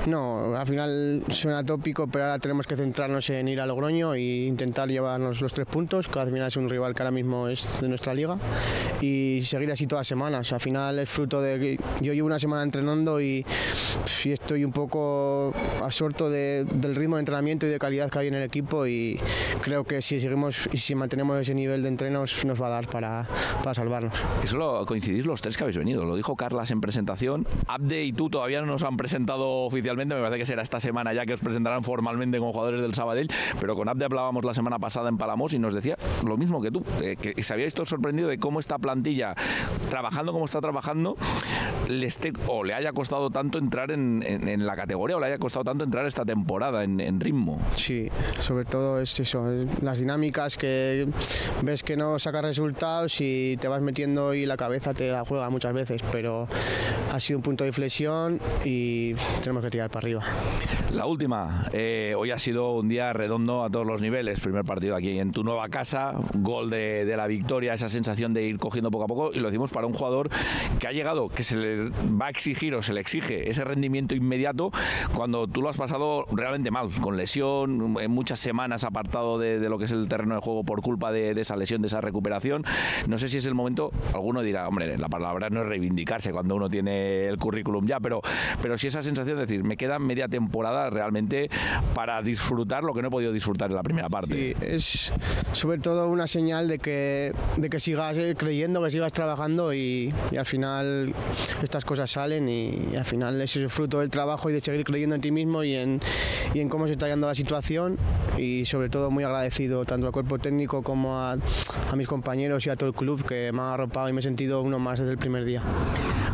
Speaker 10: No, al final suena tópico, pero ahora tenemos que centrarnos en ir a Logroño e intentar llevarnos los 3 puntos, que al final es un rival que ahora mismo es de nuestra liga, y seguir así todas las semanas. Al final es fruto de que yo llevo una semana entrenando y estoy un poco absorto del ritmo de entrenamiento y de calidad que hay en el equipo, y creo que si seguimos y si mantenemos ese nivel de entrenos nos va a dar para salvarnos.
Speaker 9: Eso lo coincidís los 3 que habéis venido, lo dijo Carlas en presentación. Abde y tú todavía no nos han presentado oficialmente, me parece que será esta semana ya que os presentarán formalmente como jugadores del Sabadell, pero con Abde hablábamos la semana pasada en Palamós y nos decía lo mismo que tú, que se habíais todo sorprendido de cómo esta plantilla, trabajando como está trabajando, le haya costado tanto entrar en la categoría o le haya costado tanto entrar esta temporada en ritmo.
Speaker 10: Sí, sobre todo es eso, las dinámicas que ves que no sacas resultados y te vas metiendo y la cabeza te la juega muchas veces, pero ha sido un punto de inflexión y tenemos que tirar para arriba.
Speaker 9: La última, hoy ha sido un día redondo a todos los niveles, primer partido aquí en tu nueva casa, gol de la victoria, esa sensación de ir cogiendo poco a poco, y lo decimos para un jugador que ha llegado, que se le va a exigir o se le exige ese rendimiento inmediato cuando tú lo has pasado realmente mal, con lesión, en muchas semanas apartado de lo que es el terreno de juego por culpa de esa lesión, de esa recuperación. No sé si es el momento, alguno dirá, hombre, la palabra no es reivindicarse cuando uno tiene el currículum ya, pero sí esa sensación de decir, me queda media temporada realmente para disfrutar lo que no he podido disfrutar en la primera parte.
Speaker 10: Sí, es sobre todo una señal de que sigas creyendo, que sigas trabajando y al final estas cosas salen y al final es el fruto del trabajo y de seguir creyendo en ti mismo y en cómo se está yendo la situación, y sobre todo muy agradecido tanto al cuerpo técnico como a mis compañeros y a todo el club que me han arropado y me he sentido uno más desde el primer día.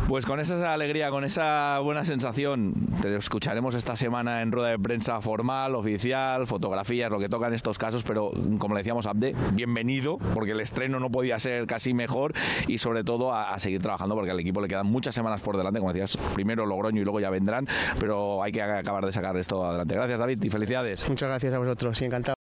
Speaker 9: Pues con esa alegría, con esa buena sensación, te escucharemos esta semana en rueda de prensa formal, oficial, fotografías, lo que toca en estos casos, pero como le decíamos a Abde, bienvenido, porque el estreno no podía ser casi mejor, y sobre todo a seguir trabajando porque al equipo le quedan muchas semanas por delante, como decías, primero Logroño y luego ya vendrán, pero hay que acabar de sacar esto adelante. Gracias, David, y felicidades.
Speaker 10: Muchas gracias a vosotros, encantado.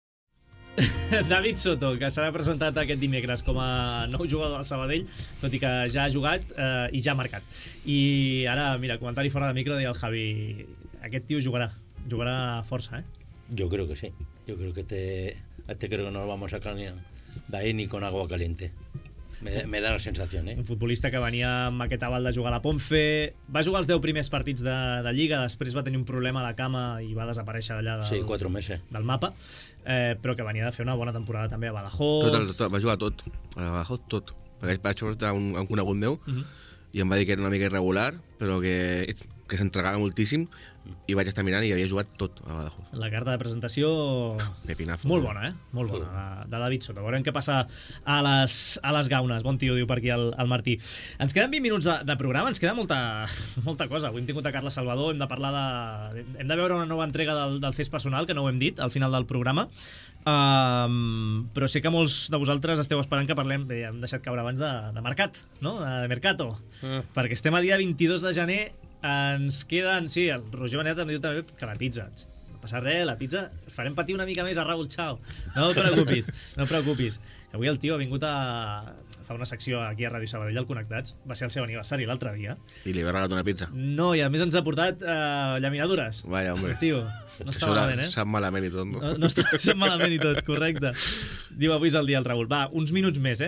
Speaker 2: David Soto, que serà presentat aquest dimecres com a nou jugador del Sabadell, tot i que ja ha jugat i ja ha marcat. I ara, mira, comentari fora de micro, deia el Javi, aquest tio jugarà força,
Speaker 8: Yo creo que sí, yo creo que este creo que no lo vamos a sacar de ahí ni con agua caliente. Me da la sensació,
Speaker 2: Un futbolista que venia amb aquest aval de jugar a la Ponfe, va jugar els 10 primers partits de Lliga, després va tenir un problema a la cama i va desaparèixer d'allà del mapa, però que venia de fer una bona temporada també a Badajoz.
Speaker 7: Tot, va jugar tot, a Badajoz tot, perquè vaig portar un conegut meu i em va dir que era una mica irregular, però que que s'entregava moltíssim, i vaig estar mirant i havia jugat tot a Badajoz.
Speaker 2: La carta de presentació...
Speaker 7: Pepinazo.
Speaker 2: Molt bona, Molt bona, de David Soto. Veurem què passa a les gaunes. Bon tio, diu per aquí el Martí. Ens queden 20 minuts de programa, ens queda molta cosa. Avui hem tingut a Carles Salvador, hem de veure una nova entrega del CES personal, que no ho hem dit al final del programa. Però sé que molts de vosaltres esteu esperant que parlem, bé, hem deixat caure abans de mercat, no? De mercato. Perquè estem a dia 22 de gener. Ens queden... Sí, el Roger Benet em diu també que la pizza. No passa res, la pizza... Farem patir una mica més a Raúl Chao. No et preocupis. Avui el tio ha vingut a fa una secció aquí a Ràdio Sabadell al Connectats. Va ser el seu aniversari l'altre dia.
Speaker 7: I li va regalar una pizza.
Speaker 2: No, i a més ens ha portat llaminadures.
Speaker 7: Vaya, hombre.
Speaker 2: Tio, no està malament,
Speaker 7: Sap malament i tot, no?
Speaker 2: No sap malament i tot, correcte. Diu, avui és el dia del Raül. Va, uns minuts més,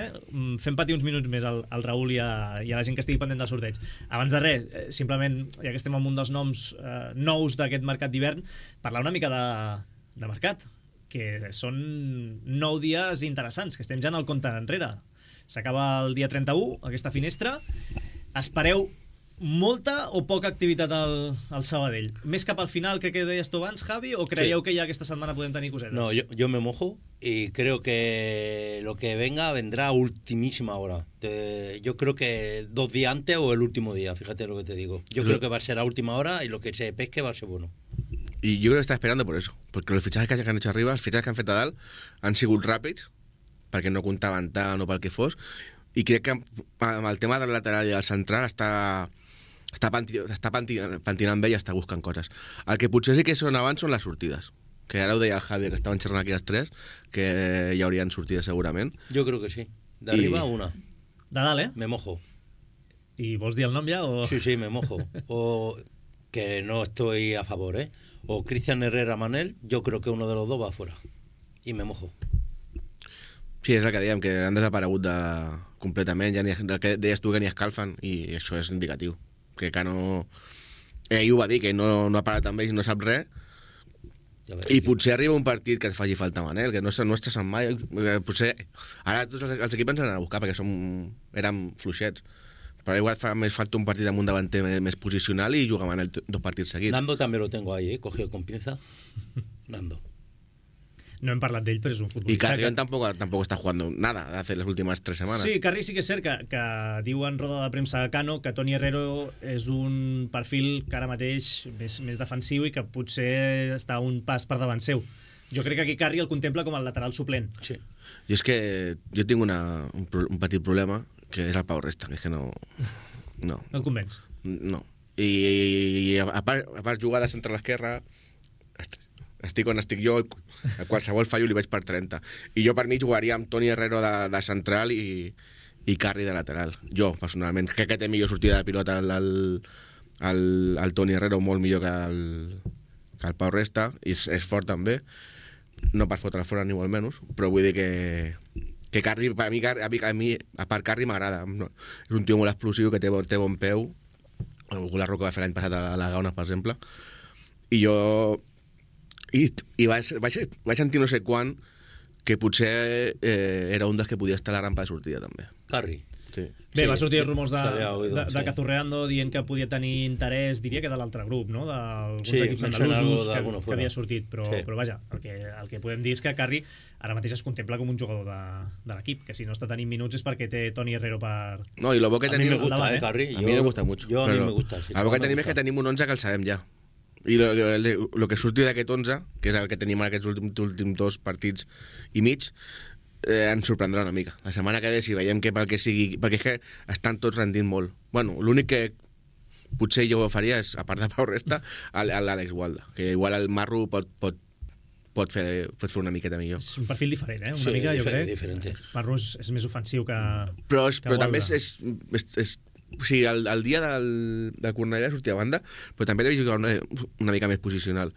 Speaker 2: Fem patir uns minuts més al Raül i a la gent que estigui pendent del sorteig. Abans de res, simplement, ja que estem amb un dels noms nous d'aquest mercat d'hivern, parlar una mica de mercat, que són 9 dies interessants, que estem ja en el compte enrere. S'acaba el dia 31, aquesta finestra. Espereu molta o poca activitat al Sabadell? Més cap al final que deies tu abans, Javi, o creieu que ja aquesta setmana podem tenir cosetes?
Speaker 8: No, yo me mojo y creo que lo que venga vendrá a ultimísima hora. Yo creo que 2 días antes o el último día, fíjate lo que te digo. Yo creo que va a ser a última hora y lo que se pesque va a ser bueno.
Speaker 7: Y yo creo que está esperando por eso, porque los fichajes que han hecho arriba, els fitxatges que han fet a dalt, han sigut ràpids, perquè no comptaven tant o pel que fos, i crec que amb el tema del lateral i del central està pentinant bé i està buscant coses. El que potser sí que són abans són les sortides, que ara ho deia el Javi, que estaven xerrant aquí els tres, que hi haurien sortides segurament.
Speaker 8: Yo creo que sí. De arriba una.
Speaker 2: De dalt,
Speaker 8: Me mojo.
Speaker 2: ¿Y vols dir el nom ja? O...
Speaker 8: Sí, me mojo. O que no estoy a favor, o Cristian Herrera Manel, yo creo que uno de los dos va afuera. Y me mojo.
Speaker 7: Sí, és el que dèiem, que han desaparegut completament, ja el que deies tu que ni escalfen, i això és indicatiu. Que no... Ell ho va dir, que no ha parat amb ells i no sap res, i potser arriba un partit que et faci falta Manel, que no estàs en mai. Potser ara tots els equips ens han a buscar perquè érem fluixets. Però igual fa més falta un partit amb un davanter més posicional i jugar Manel 2 partits seguits.
Speaker 8: Nando també lo tengo ahí, cogido con pinza. Nando.
Speaker 2: No hem parlat d'ell, però és un futbolista...
Speaker 7: Y Carrión tampoco está jugando nada hace las últimas 3 semanas.
Speaker 2: Sí, Carri sí que és cert que diu en roda de premsa a Cano que Toni Herrero és un perfil que ara mateix més defensiu i que potser està un pas per davant seu. Jo crec que aquí Carri el contempla com el lateral suplent.
Speaker 7: Sí. I és que jo tinc un petit problema, que és el Pau Resta, que és que no... No
Speaker 2: et convenç?
Speaker 7: No. I a part jugar de centre a l'esquerra, estic on estic jo, a qualsevol fallo li vaig per 30. I jo per mi jugaria amb Toni Herrero de central i Carri de lateral. Jo, personalment, crec que té millor sortida de pilota el Toni Herrero, molt millor que el Pau Resta, i és fort també, no per fotre fora ni molt menys, però vull dir que Carri, a mi, a part Carri m'agrada. És un tio molt explosiu, que té bon peu. La Roca va fer l'any passat a la Gauna, per exemple. I jo... I vaig sentir no sé quan que potser era un dels que podia estar a la rampa de sortida, també.
Speaker 8: Carri.
Speaker 7: Sí.
Speaker 2: Bé, va sortir rumors de Cazorreando dient que podia tenir interès, diria que de l'altre grup, no? D'alguns equips andalusos que havia sortit, però vaja, el que podem dir és que Carri ara mateix es contempla com un jugador de l'equip, que si no està tenint minuts és perquè té Toni Herrero per...
Speaker 7: No, i lo bo que tenim...
Speaker 8: A mi me gusta, Carri.
Speaker 7: A mi me gusta mucho.
Speaker 8: A mi me gusta.
Speaker 7: El bo que tenim és que tenim un 11 que el sabem ja. I el que surti d'aquest 11, que és el que tenim en aquests últims 2 partits i mig, ens sorprendrà una mica. La setmana que ve, si veiem que pel que sigui... Perquè és que estan tots rendint molt. Bueno, l'únic que potser jo faria és, a part de Pau Resta, l'Àlex Gualda, que igual el Marro pot fer una miqueta millor.
Speaker 2: És un perfil diferent, una mica, jo crec.
Speaker 8: Diferente.
Speaker 2: Marro és més ofensiu que
Speaker 7: Però també és o sigui, el dia del Cornellà sortia a banda, però també l'he jugat una mica més posicional.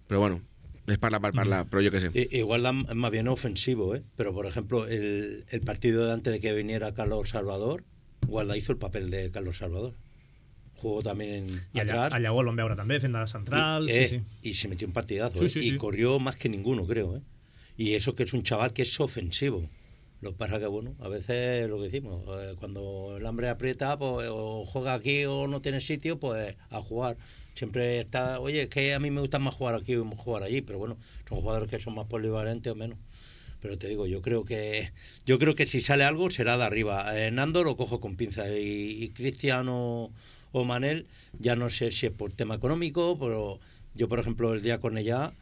Speaker 7: Però bueno, es parla, pero yo qué sé.
Speaker 8: Igual más bien ofensivo, pero por ejemplo, el partido de antes de que viniera Carlos Salvador, Gualda hizo el papel de Carlos Salvador. Jugó también atrás.
Speaker 2: Allà ho vam veure també, fent de central.
Speaker 8: Y se metió un partidazo. Y corrió más que ninguno, creo. Y eso que es un chaval que es ofensivo. Lo que pasa que, bueno, a veces lo que decimos, cuando el hambre aprieta, pues o juega aquí o no tiene sitio, pues a jugar. Siempre está, oye, es que a mí me gusta más jugar aquí o jugar allí, pero bueno, son jugadores que son más polivalentes o menos. Pero te digo, yo creo que si sale algo será de arriba. Nando lo cojo con pinza y Cristian o Manel, ya no sé si es por tema económico, pero yo, por ejemplo, el día con ella,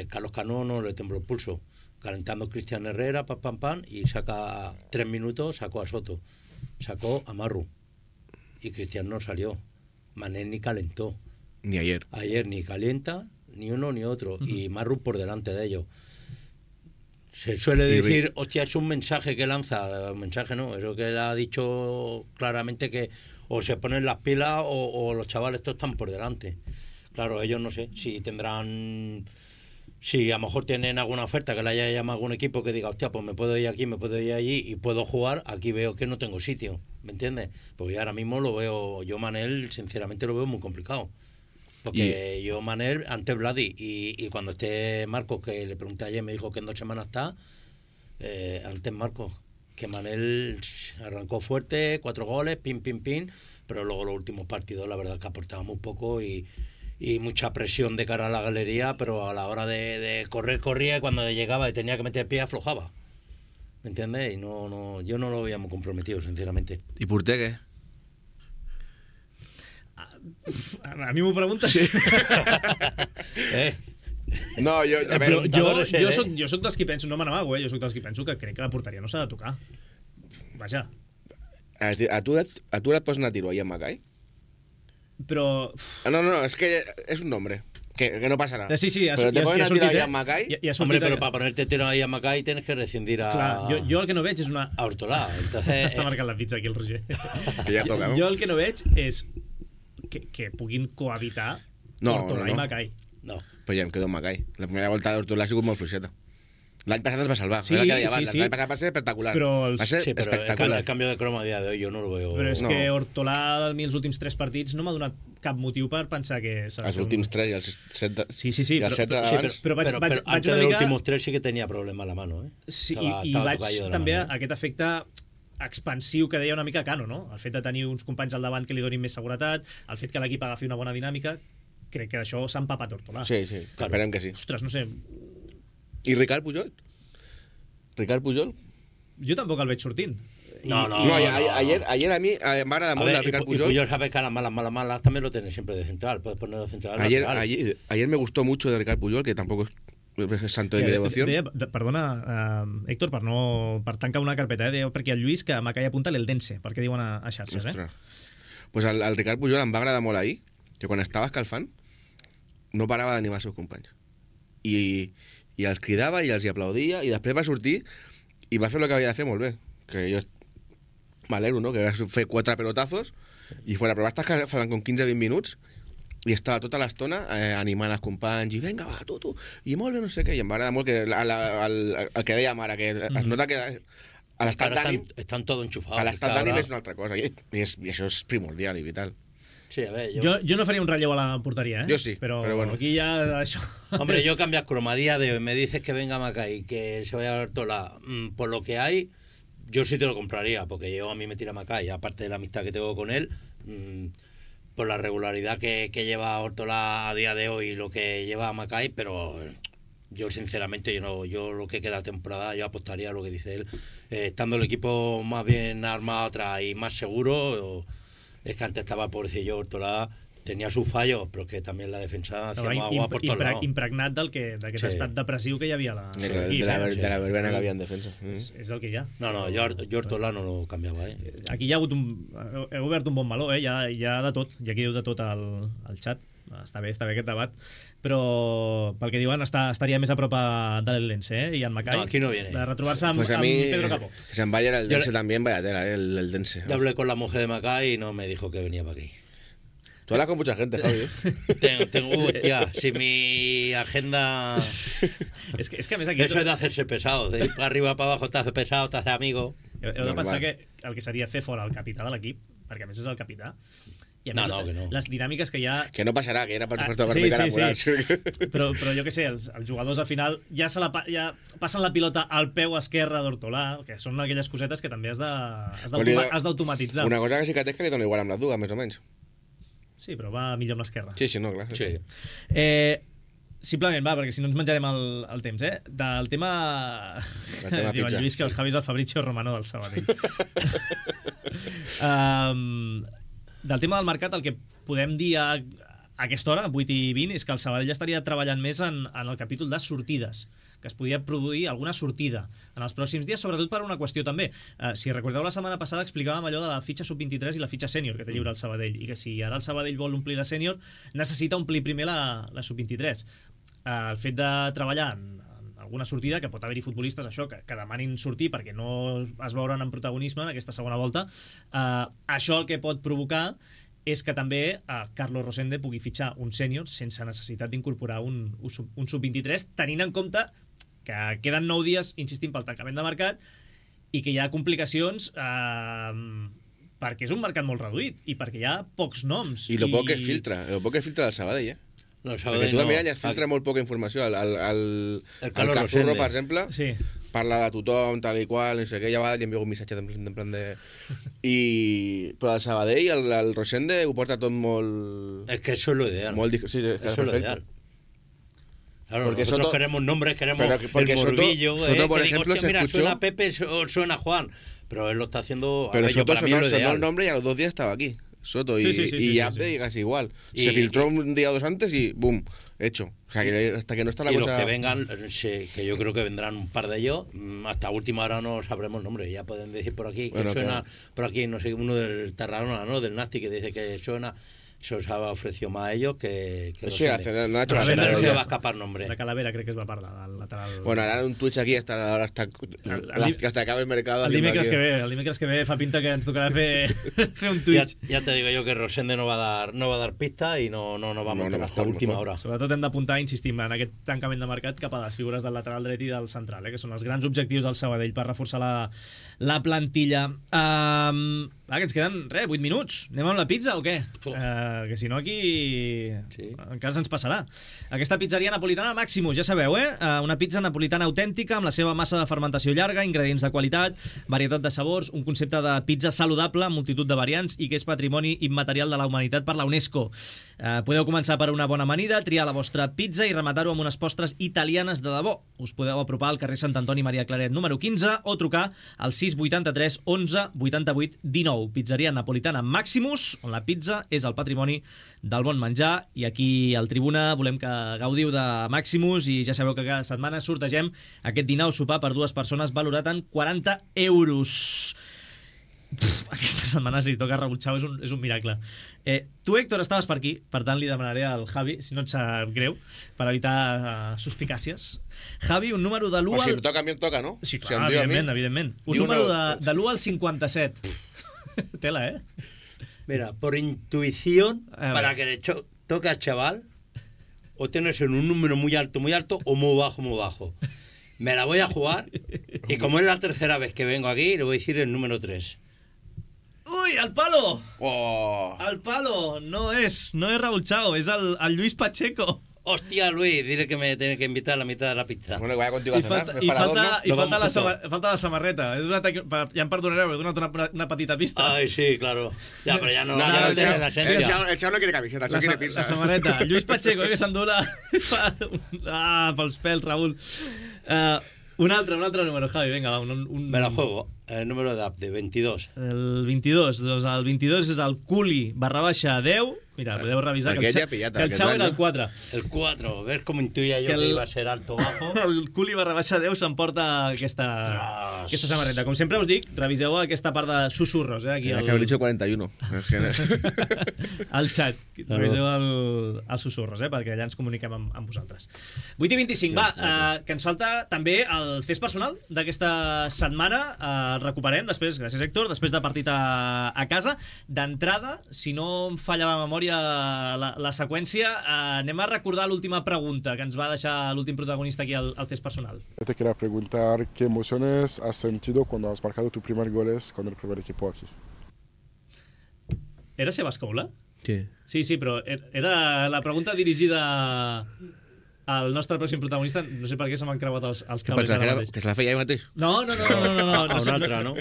Speaker 8: Carlos Cano no le tembló el pulso. Calentando Cristian Herrera, pam, y saca 3 minutos, sacó a Soto, sacó a Marru, y Cristian no salió. Manel ni calentó.
Speaker 7: Ni ayer.
Speaker 8: Ayer ni calienta, ni uno ni otro, y Marru por delante de ellos. Se suele decir, hostia, es un mensaje que lanza. Un mensaje no, eso que él ha dicho claramente, que o se ponen las pilas o los chavales estos están por delante. Claro, ellos no sé si tendrán... Si a lo mejor tienen alguna oferta que le haya llamado a algún equipo que diga, hostia, pues me puedo ir aquí, me puedo ir allí y puedo jugar, aquí veo que no tengo sitio, ¿me entiendes? Porque ahora mismo lo veo, yo Manel, sinceramente lo veo muy complicado. Porque yo Manel, antes Vladi, y cuando esté Marcos, que le pregunté ayer, me dijo que en 2 semanas está, antes Marcos, que Manel arrancó fuerte, 4 goles, pin, pero luego los últimos partidos la verdad que aportaba muy poco y mucha presión de cara a la galería, pero a la hora de correr, corría, y cuando llegaba y tenía que meter el pie, aflojaba. ¿Me entiendes? Y no, yo no lo veía muy comprometido, sinceramente.
Speaker 7: ¿Y Porter qué?
Speaker 2: A mi m'ho preguntes?
Speaker 7: Sí. No,
Speaker 2: jo soc dels qui penso, no me n'amago, jo soc dels qui penso que crec que la porteria no s'ha de tocar. Vaja.
Speaker 7: A tu et pots anar a tiro ahí amb Macai?
Speaker 2: Però...
Speaker 7: No, es que es un nombre. Que no pasará.
Speaker 2: Sí,
Speaker 7: pero te ponen a tiro ahí a Macai.
Speaker 8: Hombre, pero para ponerte tiro ahí a Macai tienes que rescindir a...
Speaker 2: Clar, jo el que no veig és una...
Speaker 8: A Hortolà. Entonces...
Speaker 2: Està marcant la pizza aquí el Roger.
Speaker 7: Que ja toca, no?
Speaker 2: Jo el que no veig és que puguin cohabitar Hortolà i Macai.
Speaker 8: No.
Speaker 7: Pues ja em quedo amb Macai. La primera volta d'Hortolà ha sigut molt fluixeta. L'any passat es va salvar.
Speaker 2: Sí.
Speaker 7: L'any passat va ser espectacular.
Speaker 2: Va
Speaker 7: ser espectacular.
Speaker 8: El cambio de croma a dia de hoy yo no lo veo.
Speaker 2: Però és que Hortolà, a mi els últims 3 partits, no m'ha donat cap motiu per pensar que...
Speaker 7: Els últims 3 i els 7
Speaker 2: Sí,
Speaker 7: i els 7 d'abans.
Speaker 2: Però vaig
Speaker 8: antes
Speaker 2: una
Speaker 8: de
Speaker 2: mica...
Speaker 8: los últimos 3 sí que tenía problema a la mano, eh?
Speaker 2: Sí, i vaig també a aquest efecte expansiu que deia una mica Cano, no? El fet de tenir uns companys al davant que li donin més seguretat, el fet que l'equip agafi una bona dinàmica, crec que d'això s'ha empapat Hortolà.
Speaker 7: Sí, esperem que sí.
Speaker 2: Ostres, no sé...
Speaker 7: I Ricard Pujol?
Speaker 2: Jo tampoc el veig sortint.
Speaker 8: No,
Speaker 7: ayer a mí me agrada mucho de Ricard Pujol.
Speaker 8: Y Pujol sabe que a las malas también lo tiene siempre de central. Puedes ponerlo central.
Speaker 7: Ayer me gustó mucho de Ricard Pujol, que tampoco es santo de mi devoción.
Speaker 2: Perdona, Héctor, per tancar una carpeta, deia perquè el Lluís que Macai apunta l'Eldense, perquè diuen a xarxes,
Speaker 7: Pues al Ricard Pujol em va agradar molt ahir, que quan estava escalfant no parava d'animar els seus companys. I els cridava i els hi aplaudia, i després va sortir i va fer el que havia de fer molt bé, que jo m'alegro, no? Que va fer 4 pelotazos i fora, però va estar escalfant com 15-20 minuts i estava tota l'estona animant els companys i vinga, va, tu, i molt bé, no sé què, i em va agradar molt que el que dèiem ara, que es nota que a l'estat d'ànim
Speaker 8: estan tot enxufados.
Speaker 7: A l'estat d'ànim és una altra cosa i això és primordial i vital.
Speaker 8: Sí, a ver,
Speaker 2: yo no faría un relleu a la portería,
Speaker 7: Yo sí,
Speaker 2: pero
Speaker 7: bueno.
Speaker 2: Aquí ya...
Speaker 8: Hombre, yo cambias cromadía de me dices que venga Macai, que se vaya a Hortolà. Por lo que hay, yo sí te lo compraría, porque yo a mí me tira Macai, aparte de la amistad que tengo con él, por la regularidad que lleva Hortolà a día de hoy, lo que lleva Macai, pero yo sinceramente yo lo que queda temporada yo apostaría a lo que dice él, estando el equipo más bien armado atrás y más seguro. Es que antes estaba pobrecillo Hortolà, tenía sus fallos, però que també la defensa hacía agua por todos lados.
Speaker 2: Impregnat d'aquest estat depressiu que hi havia a
Speaker 7: de la verbena que havia en defensa.
Speaker 2: És el que hi ha.
Speaker 8: No, jo Hortolà no lo canviava.
Speaker 2: Aquí hi ha hagut heu obert un bon meló, hi ha de tot, hi ha qui diu de tot al xat. Està bé aquest debat, però pel que diuen estaria més a prop de l'Eldense, i en Macai,
Speaker 8: no, aquí no viene.
Speaker 2: De retrobar-se amb Pedro Capó.
Speaker 7: Si em vaya el Dense también, vaya tela, el Dense.
Speaker 8: Yo hablé con la mujer de Macai y no me dijo que venía para aquí.
Speaker 7: Tú hablas con mucha gente, Javi.
Speaker 8: Hostia, si mi agenda...
Speaker 2: és que a més aquí...
Speaker 8: Eso es de hacerse pesado, de ir para arriba, para abajo, te hace pesado, te hace amigo.
Speaker 2: Heu de pensar que el que seria fer fora el capità de l'equip, perquè a més és el capità, i I a més,
Speaker 8: que no.
Speaker 2: les dinàmiques que hi ha...
Speaker 7: Que no passarà, que era per tocar
Speaker 2: sí. Però jo què sé, els jugadors al final ja passen la pilota al peu esquerre d'Hortolà, que són aquelles cosetes que també has d'automatitzar.
Speaker 7: Una cosa que sí que té és que li dona igual amb les dues, més o menys.
Speaker 2: Sí, però va millor amb l'esquerra.
Speaker 7: Sí, no, clar.
Speaker 2: Sí. Simplement, perquè si no ens menjarem el temps, del tema... Diu el Lluís que el Javi és el Fabrizio Romano del Sabadell. Del tema del mercat, el que podem dir a aquesta hora, 8:20, és que el Sabadell estaria treballant més en el capítol de sortides, que es podia produir alguna sortida en els pròxims dies, sobretot per una qüestió també. Si recordeu, la setmana passada explicàvem allò de la fitxa sub-23 i la fitxa sènior que té lliure el Sabadell, i que si ara el Sabadell vol omplir la sènior, necessita omplir primer la sub-23. El fet de treballar en alguna sortida, que pot haver-hi futbolistes que demanin sortir perquè no es veuran en protagonisme en aquesta segona volta, això el que pot provocar és que també Carlos Rosende pugui fitxar un sènior sense necessitat d'incorporar un sub-23, tenint en compte que queden 9 dies, insistim, pel tancament de mercat, i que hi ha complicacions perquè és un mercat molt reduït i perquè hi ha pocs noms.
Speaker 7: I el poc que filtra del Sabadell,
Speaker 8: No,
Speaker 7: perquè tu mira, ja es filtra molt poca informació. El Cazurro, per exemple, parla de tothom, tal i qual, no sé què, ja va, li envio un missatge en plan de... Però el Sabadell, el Rosende, ho porta tot molt...
Speaker 8: Es que eso es lo ideal.
Speaker 7: Sí, eso es lo ideal.
Speaker 8: Claro, porque nosotros queremos nombres, queremos el morbillo.
Speaker 7: Soto, por ejemplo, se
Speaker 8: mira,
Speaker 7: escuchó...
Speaker 8: suena Pepe, suena Juan, pero él lo está haciendo...
Speaker 7: Pero Soto sonó el nombre y a los 2 días estaba aquí. Soto y Abde casi igual. Se filtró un día o 2 antes y ¡boom! Hecho. O sea, que hasta que no está la cosa...
Speaker 8: Y los que vengan, que yo creo que vendrán un par de ellos, hasta última hora no sabremos nombre. Ya pueden decir por aquí que suena, por aquí, no sé, uno del Tarragona, ¿no? Del Nasti, que dice que suena... Eso os ha ofrecido más a ellos que
Speaker 7: no se va a
Speaker 8: escapar nombre.
Speaker 2: La Calavera crec que es va parlar del lateral.
Speaker 7: Bueno, ara un Twitch aquí hasta acaba el mercado.
Speaker 2: El dimecres que ve fa pinta que ens tocarà fer un Twitch.
Speaker 8: Ya te digo yo que Rosende no va a dar pista y no va a montar hasta última hora.
Speaker 2: Sobretot hem d'apuntar, insistim, en aquest tancament de mercat cap a les figures del lateral dret i del central, que són els grans objectius del Sabadell per reforçar la plantilla. Que ens queden, 8 minuts. Anem amb la pizza o què? Que si no aquí encara se'ns passarà. Aquesta pizzeria napolitana Maximus, ja sabeu, una pizza napolitana autèntica amb la seva massa de fermentació llarga, ingredients de qualitat, varietat de sabors, un concepte de pizza saludable amb multitud de variants i que és patrimoni immaterial de la humanitat per la UNESCO. Podeu començar per una bona amanida, triar la vostra pizza i rematar-ho amb unes postres italianes de debò. Us podeu apropar al carrer Sant Antoni Maria Claret número 15 o trucar al 683 11 88 19. Pizzeria napolitana Maximus, on la pizza és el patrimoni del bon menjar, i aquí al Tribuna volem que gaudiu de Maximus i ja sabeu que cada setmana sortegem aquest dinar o sopar per 2 persones valorat en 40 euros. Aquesta setmana si toca Raúl Chao és un miracle. Tu, Héctor, estaves per aquí, per tant li demanaré al Javi, si no et sap greu, per evitar suspicàcies. Javi, un número de l'1 al...
Speaker 7: Si em toca, a mi em toca, no?
Speaker 2: Sí, clar, evidentment. Un número de l'1 al 57. Tela,
Speaker 8: Mira, por intuición, para que le toque al chaval, o tienes en un número muy alto o muy bajo. Me la voy a jugar y como es la tercera vez que vengo aquí, le voy a decir el número 3.
Speaker 2: ¡Uy, al palo!
Speaker 7: Oh.
Speaker 2: Al palo! No es Raúl Chao, es al Luis Pacheco.
Speaker 8: Hostia, Luis, dile que me tiene que invitar a la mitad de la pizza.
Speaker 7: Bueno, que vaya contigo a cenar.
Speaker 2: Falta la samarreta. Ja em perdonareu, he donat una petita pista.
Speaker 8: Ay, sí, claro. Ya, pero ya no.
Speaker 7: El Chao no quiere camiseta, el Chao quiere pizza.
Speaker 2: La samarreta. Lluís Pacheco, que s'endú pels pèls, Raúl. Un altre número, Javi, venga, va.
Speaker 8: Me la juego. El número de 22.
Speaker 2: El 22, doncs el 22 és el Culi /10. Mira, podeu revisar que el Chao era el 4.
Speaker 8: El 4, ves com intuïa jo que iba a ser alto o bajo.
Speaker 2: El Culi /10 s'emporta aquesta samarreta. Com sempre us dic, reviseu aquesta part de susurros. Aquí
Speaker 7: que haver dicho 41.
Speaker 2: Al xat. Reviseu els susurros, perquè allà ens comuniquem amb vosaltres. 8:25, va, que ens falta també el fes personal d'aquesta setmana. Recuperem després, gràcies Héctor, després de partit a casa. D'entrada, si no em falla la memòria la seqüència, anem a recordar l'última pregunta que ens va deixar l'últim protagonista aquí al Fes Personal.
Speaker 11: Te quería preguntar qué emociones has sentido cuando has marcado tu primer goles con el primer equipo aquí.
Speaker 2: Era Sebas Coula? Sí, però era la pregunta dirigida al nostre pròxim protagonista. No sé per què se m'han creuat els cables ara mateix.
Speaker 7: Que se la feia ell mateix?
Speaker 2: No.
Speaker 8: A un altre, no?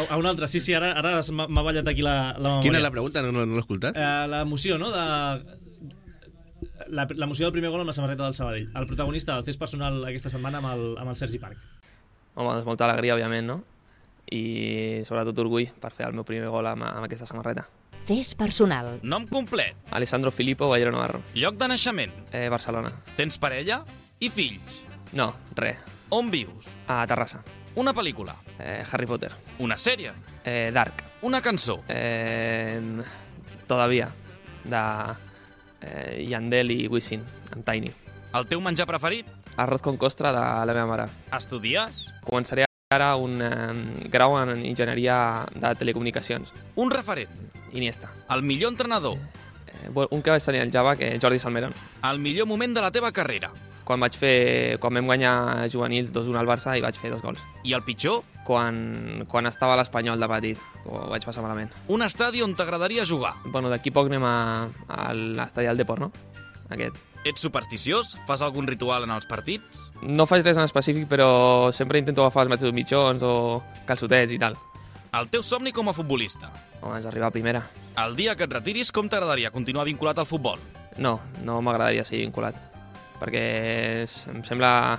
Speaker 2: A un altre, sí, ara m'ha ballat aquí la memòria.
Speaker 7: Quina és la pregunta? No l'he escoltat.
Speaker 2: L'emoció, no? L'emoció del primer gol amb la samarreta del Sabadell. El protagonista del fes personal aquesta setmana amb el Sergi Parc.
Speaker 12: Home, doncs molta alegria, òbviament, no? I sobretot orgull per fer el meu primer gol amb aquesta samarreta.
Speaker 1: Fes personal.
Speaker 6: Nom complet.
Speaker 12: Alessandro Filippo Ballero Navarro.
Speaker 6: Lloc de naixement.
Speaker 12: Barcelona.
Speaker 6: Tens parella i fills.
Speaker 12: No, res.
Speaker 6: On vius?
Speaker 12: A Terrassa.
Speaker 6: Una pel·lícula.
Speaker 12: Harry Potter.
Speaker 6: Una sèrie.
Speaker 12: Dark.
Speaker 6: Una cançó.
Speaker 12: Todavía, de Yandel i Wisin, amb Tiny.
Speaker 6: El teu menjar preferit?
Speaker 12: Arroz con costra de la meva mare.
Speaker 6: Estudies?
Speaker 12: Començaré ara un grau en enginyeria de telecomunicacions.
Speaker 6: Un referent?
Speaker 12: Iniesta.
Speaker 6: El millor entrenador?
Speaker 12: Un que vaig tenir al Java, que Jordi Salmeron.
Speaker 6: El millor moment de la teva carrera?
Speaker 12: Quan vam guanyar juvenils 2-1 al Barça i vaig fer 2 gols.
Speaker 6: I el pitjor?
Speaker 12: Quan estava a l'Espanyol de petit, ho vaig passar malament.
Speaker 6: Un estadi on t'agradaria jugar?
Speaker 12: Bueno, d'aquí poc anem a l'estadi del Deport, no? Aquest.
Speaker 6: Ets supersticiós? Fas algun ritual en els partits?
Speaker 12: No faig res en específic, però sempre intento agafar els mateixos mitjons o calçotets i tal.
Speaker 6: El teu somni com a futbolista?
Speaker 12: Home, és arribar a primera.
Speaker 6: El dia que et retiris, com t'agradaria continuar vinculat al futbol?
Speaker 12: No m'agradaria seguir vinculat, perquè em sembla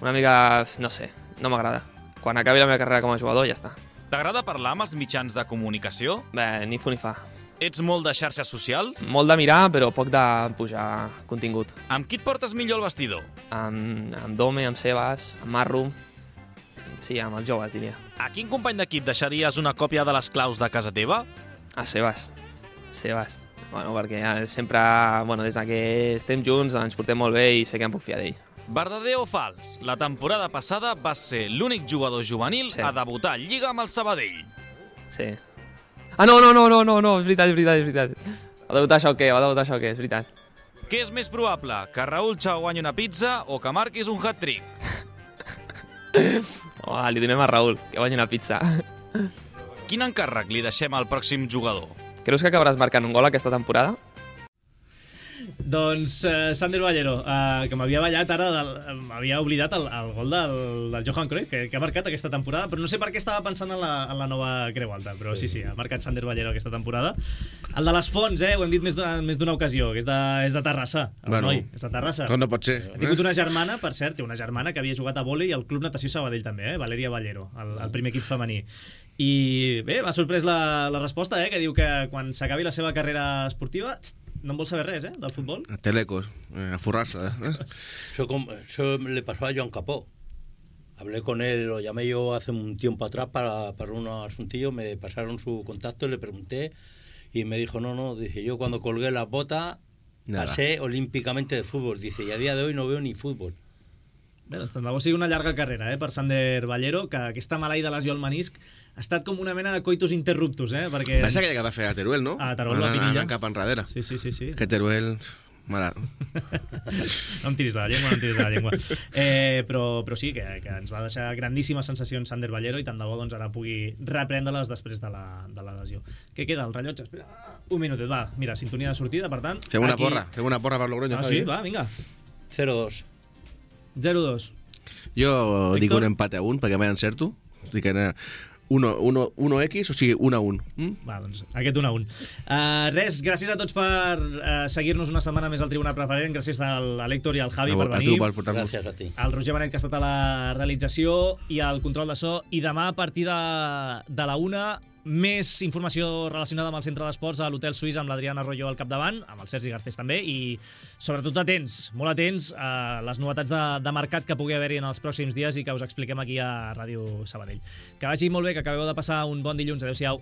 Speaker 12: una mica... no sé, no m'agrada. Quan acabi la meva carrera com a jugador, ja està.
Speaker 6: T'agrada parlar amb els mitjans de comunicació?
Speaker 12: Bé, ni fu ni fa.
Speaker 6: Ets molt de xarxes socials?
Speaker 12: Molt de mirar, però poc de pujar contingut.
Speaker 6: Amb qui et portes millor al vestidor?
Speaker 12: Amb Dome, amb Sebas, amb Marro... Sí, amb els joves, diria.
Speaker 6: A quin company d'equip deixaries una còpia de les claus de casa teva?
Speaker 12: A Sebas. Bueno, perquè sempre, des que estem junts ens portem molt bé i sé que em puc fiar d'ell.
Speaker 6: Verdader o fals? La temporada passada vas ser l'únic jugador juvenil a debutar a Lliga amb el Sabadell.
Speaker 12: Sí. No, és veritat. Va debutar Xauquer, és veritat.
Speaker 6: Què és més probable? Que Raúl Chao guanyi una pizza o que marquis un hat-trick?
Speaker 12: Li donem a Raúl, que guanyi una pizza.
Speaker 6: Quin encàrrec li deixem al pròxim jugador?
Speaker 12: Creus que acabaràs marcant un gol aquesta temporada?
Speaker 2: Doncs Sander Ballero, que m'havia ballat ara, m'havia oblidat el gol del Johan Cruyff, que ha marcat aquesta temporada, però no sé per què estava pensant en la nova Creu Alta, però sí, ha marcat Sander Ballero aquesta temporada. El de les Fonts, ho hem dit més d'una ocasió, que és de Terrassa. És de Terrassa.
Speaker 7: No pot ser.
Speaker 2: Ha tingut una germana, per cert, té una germana que havia jugat a vòlei al Club Natació Sabadell també, Valeria Ballero, el primer equip femení. I bé, m'ha sorprès la resposta, que diu que quan s'acabi la seva carrera esportiva no en vol saber res, del futbol.
Speaker 7: A telecos, a forrar-se.
Speaker 8: Eso le pasó a Joan Capó. Hablé con él, lo llamé yo hace un tiempo atrás para un asuntillo, me pasaron su contacto, le pregunté y me dijo, dice, yo cuando colgué las botas pasé olímpicamente de fútbol, dice, y a día de hoy no veo ni fútbol.
Speaker 2: Bé, doncs tant de bo sigui una llarga carrera per Sander Ballero, que aquesta maleïda lesió al menisc ha estat com una mena de coitus interruptus, perquè...
Speaker 7: Va ser aquella que va fer a Teruel, no?
Speaker 2: A Teruel, la Pinilla.
Speaker 7: Anant cap enrere.
Speaker 2: Sí.
Speaker 7: Que Teruel... Mare...
Speaker 2: No em tiris de la llengua, però sí, que ens va deixar grandíssimes sensacions Sander Ballero i tant de bo ara pugui reprendre-les després de la lesió. Què queda, el rellotge? Espera, un minutet, va, mira, sintonia de sortida, per tant...
Speaker 7: Fem una porra per Logroño.
Speaker 2: Sí, va, vinga.
Speaker 8: 0-2.
Speaker 2: 0-2.
Speaker 7: Jo dic un empate a 1 perquè mai encerto. Dic 1x, o sigui 1-1.
Speaker 2: Va, doncs aquest 1-1. Res, gràcies a tots per seguir-nos una setmana més al Tribuna Preferent. Gràcies a l'Héctor i al Javi per venir.
Speaker 8: Gràcies a ti.
Speaker 2: Al Roger Benet, que ha estat a la realització i al control de so. I demà, a partir de la 1, més informació relacionada amb el centre d'esports a l'Hotel Suís amb l'Adriana Arroyo al capdavant, amb el Sergi Garcés també, i sobretot molt atents a les novetats de mercat que pugui haver-hi en els pròxims dies i que us expliquem aquí a Ràdio Sabadell. Que vagi molt bé, que acabeu de passar un bon dilluns. Adéu-siau.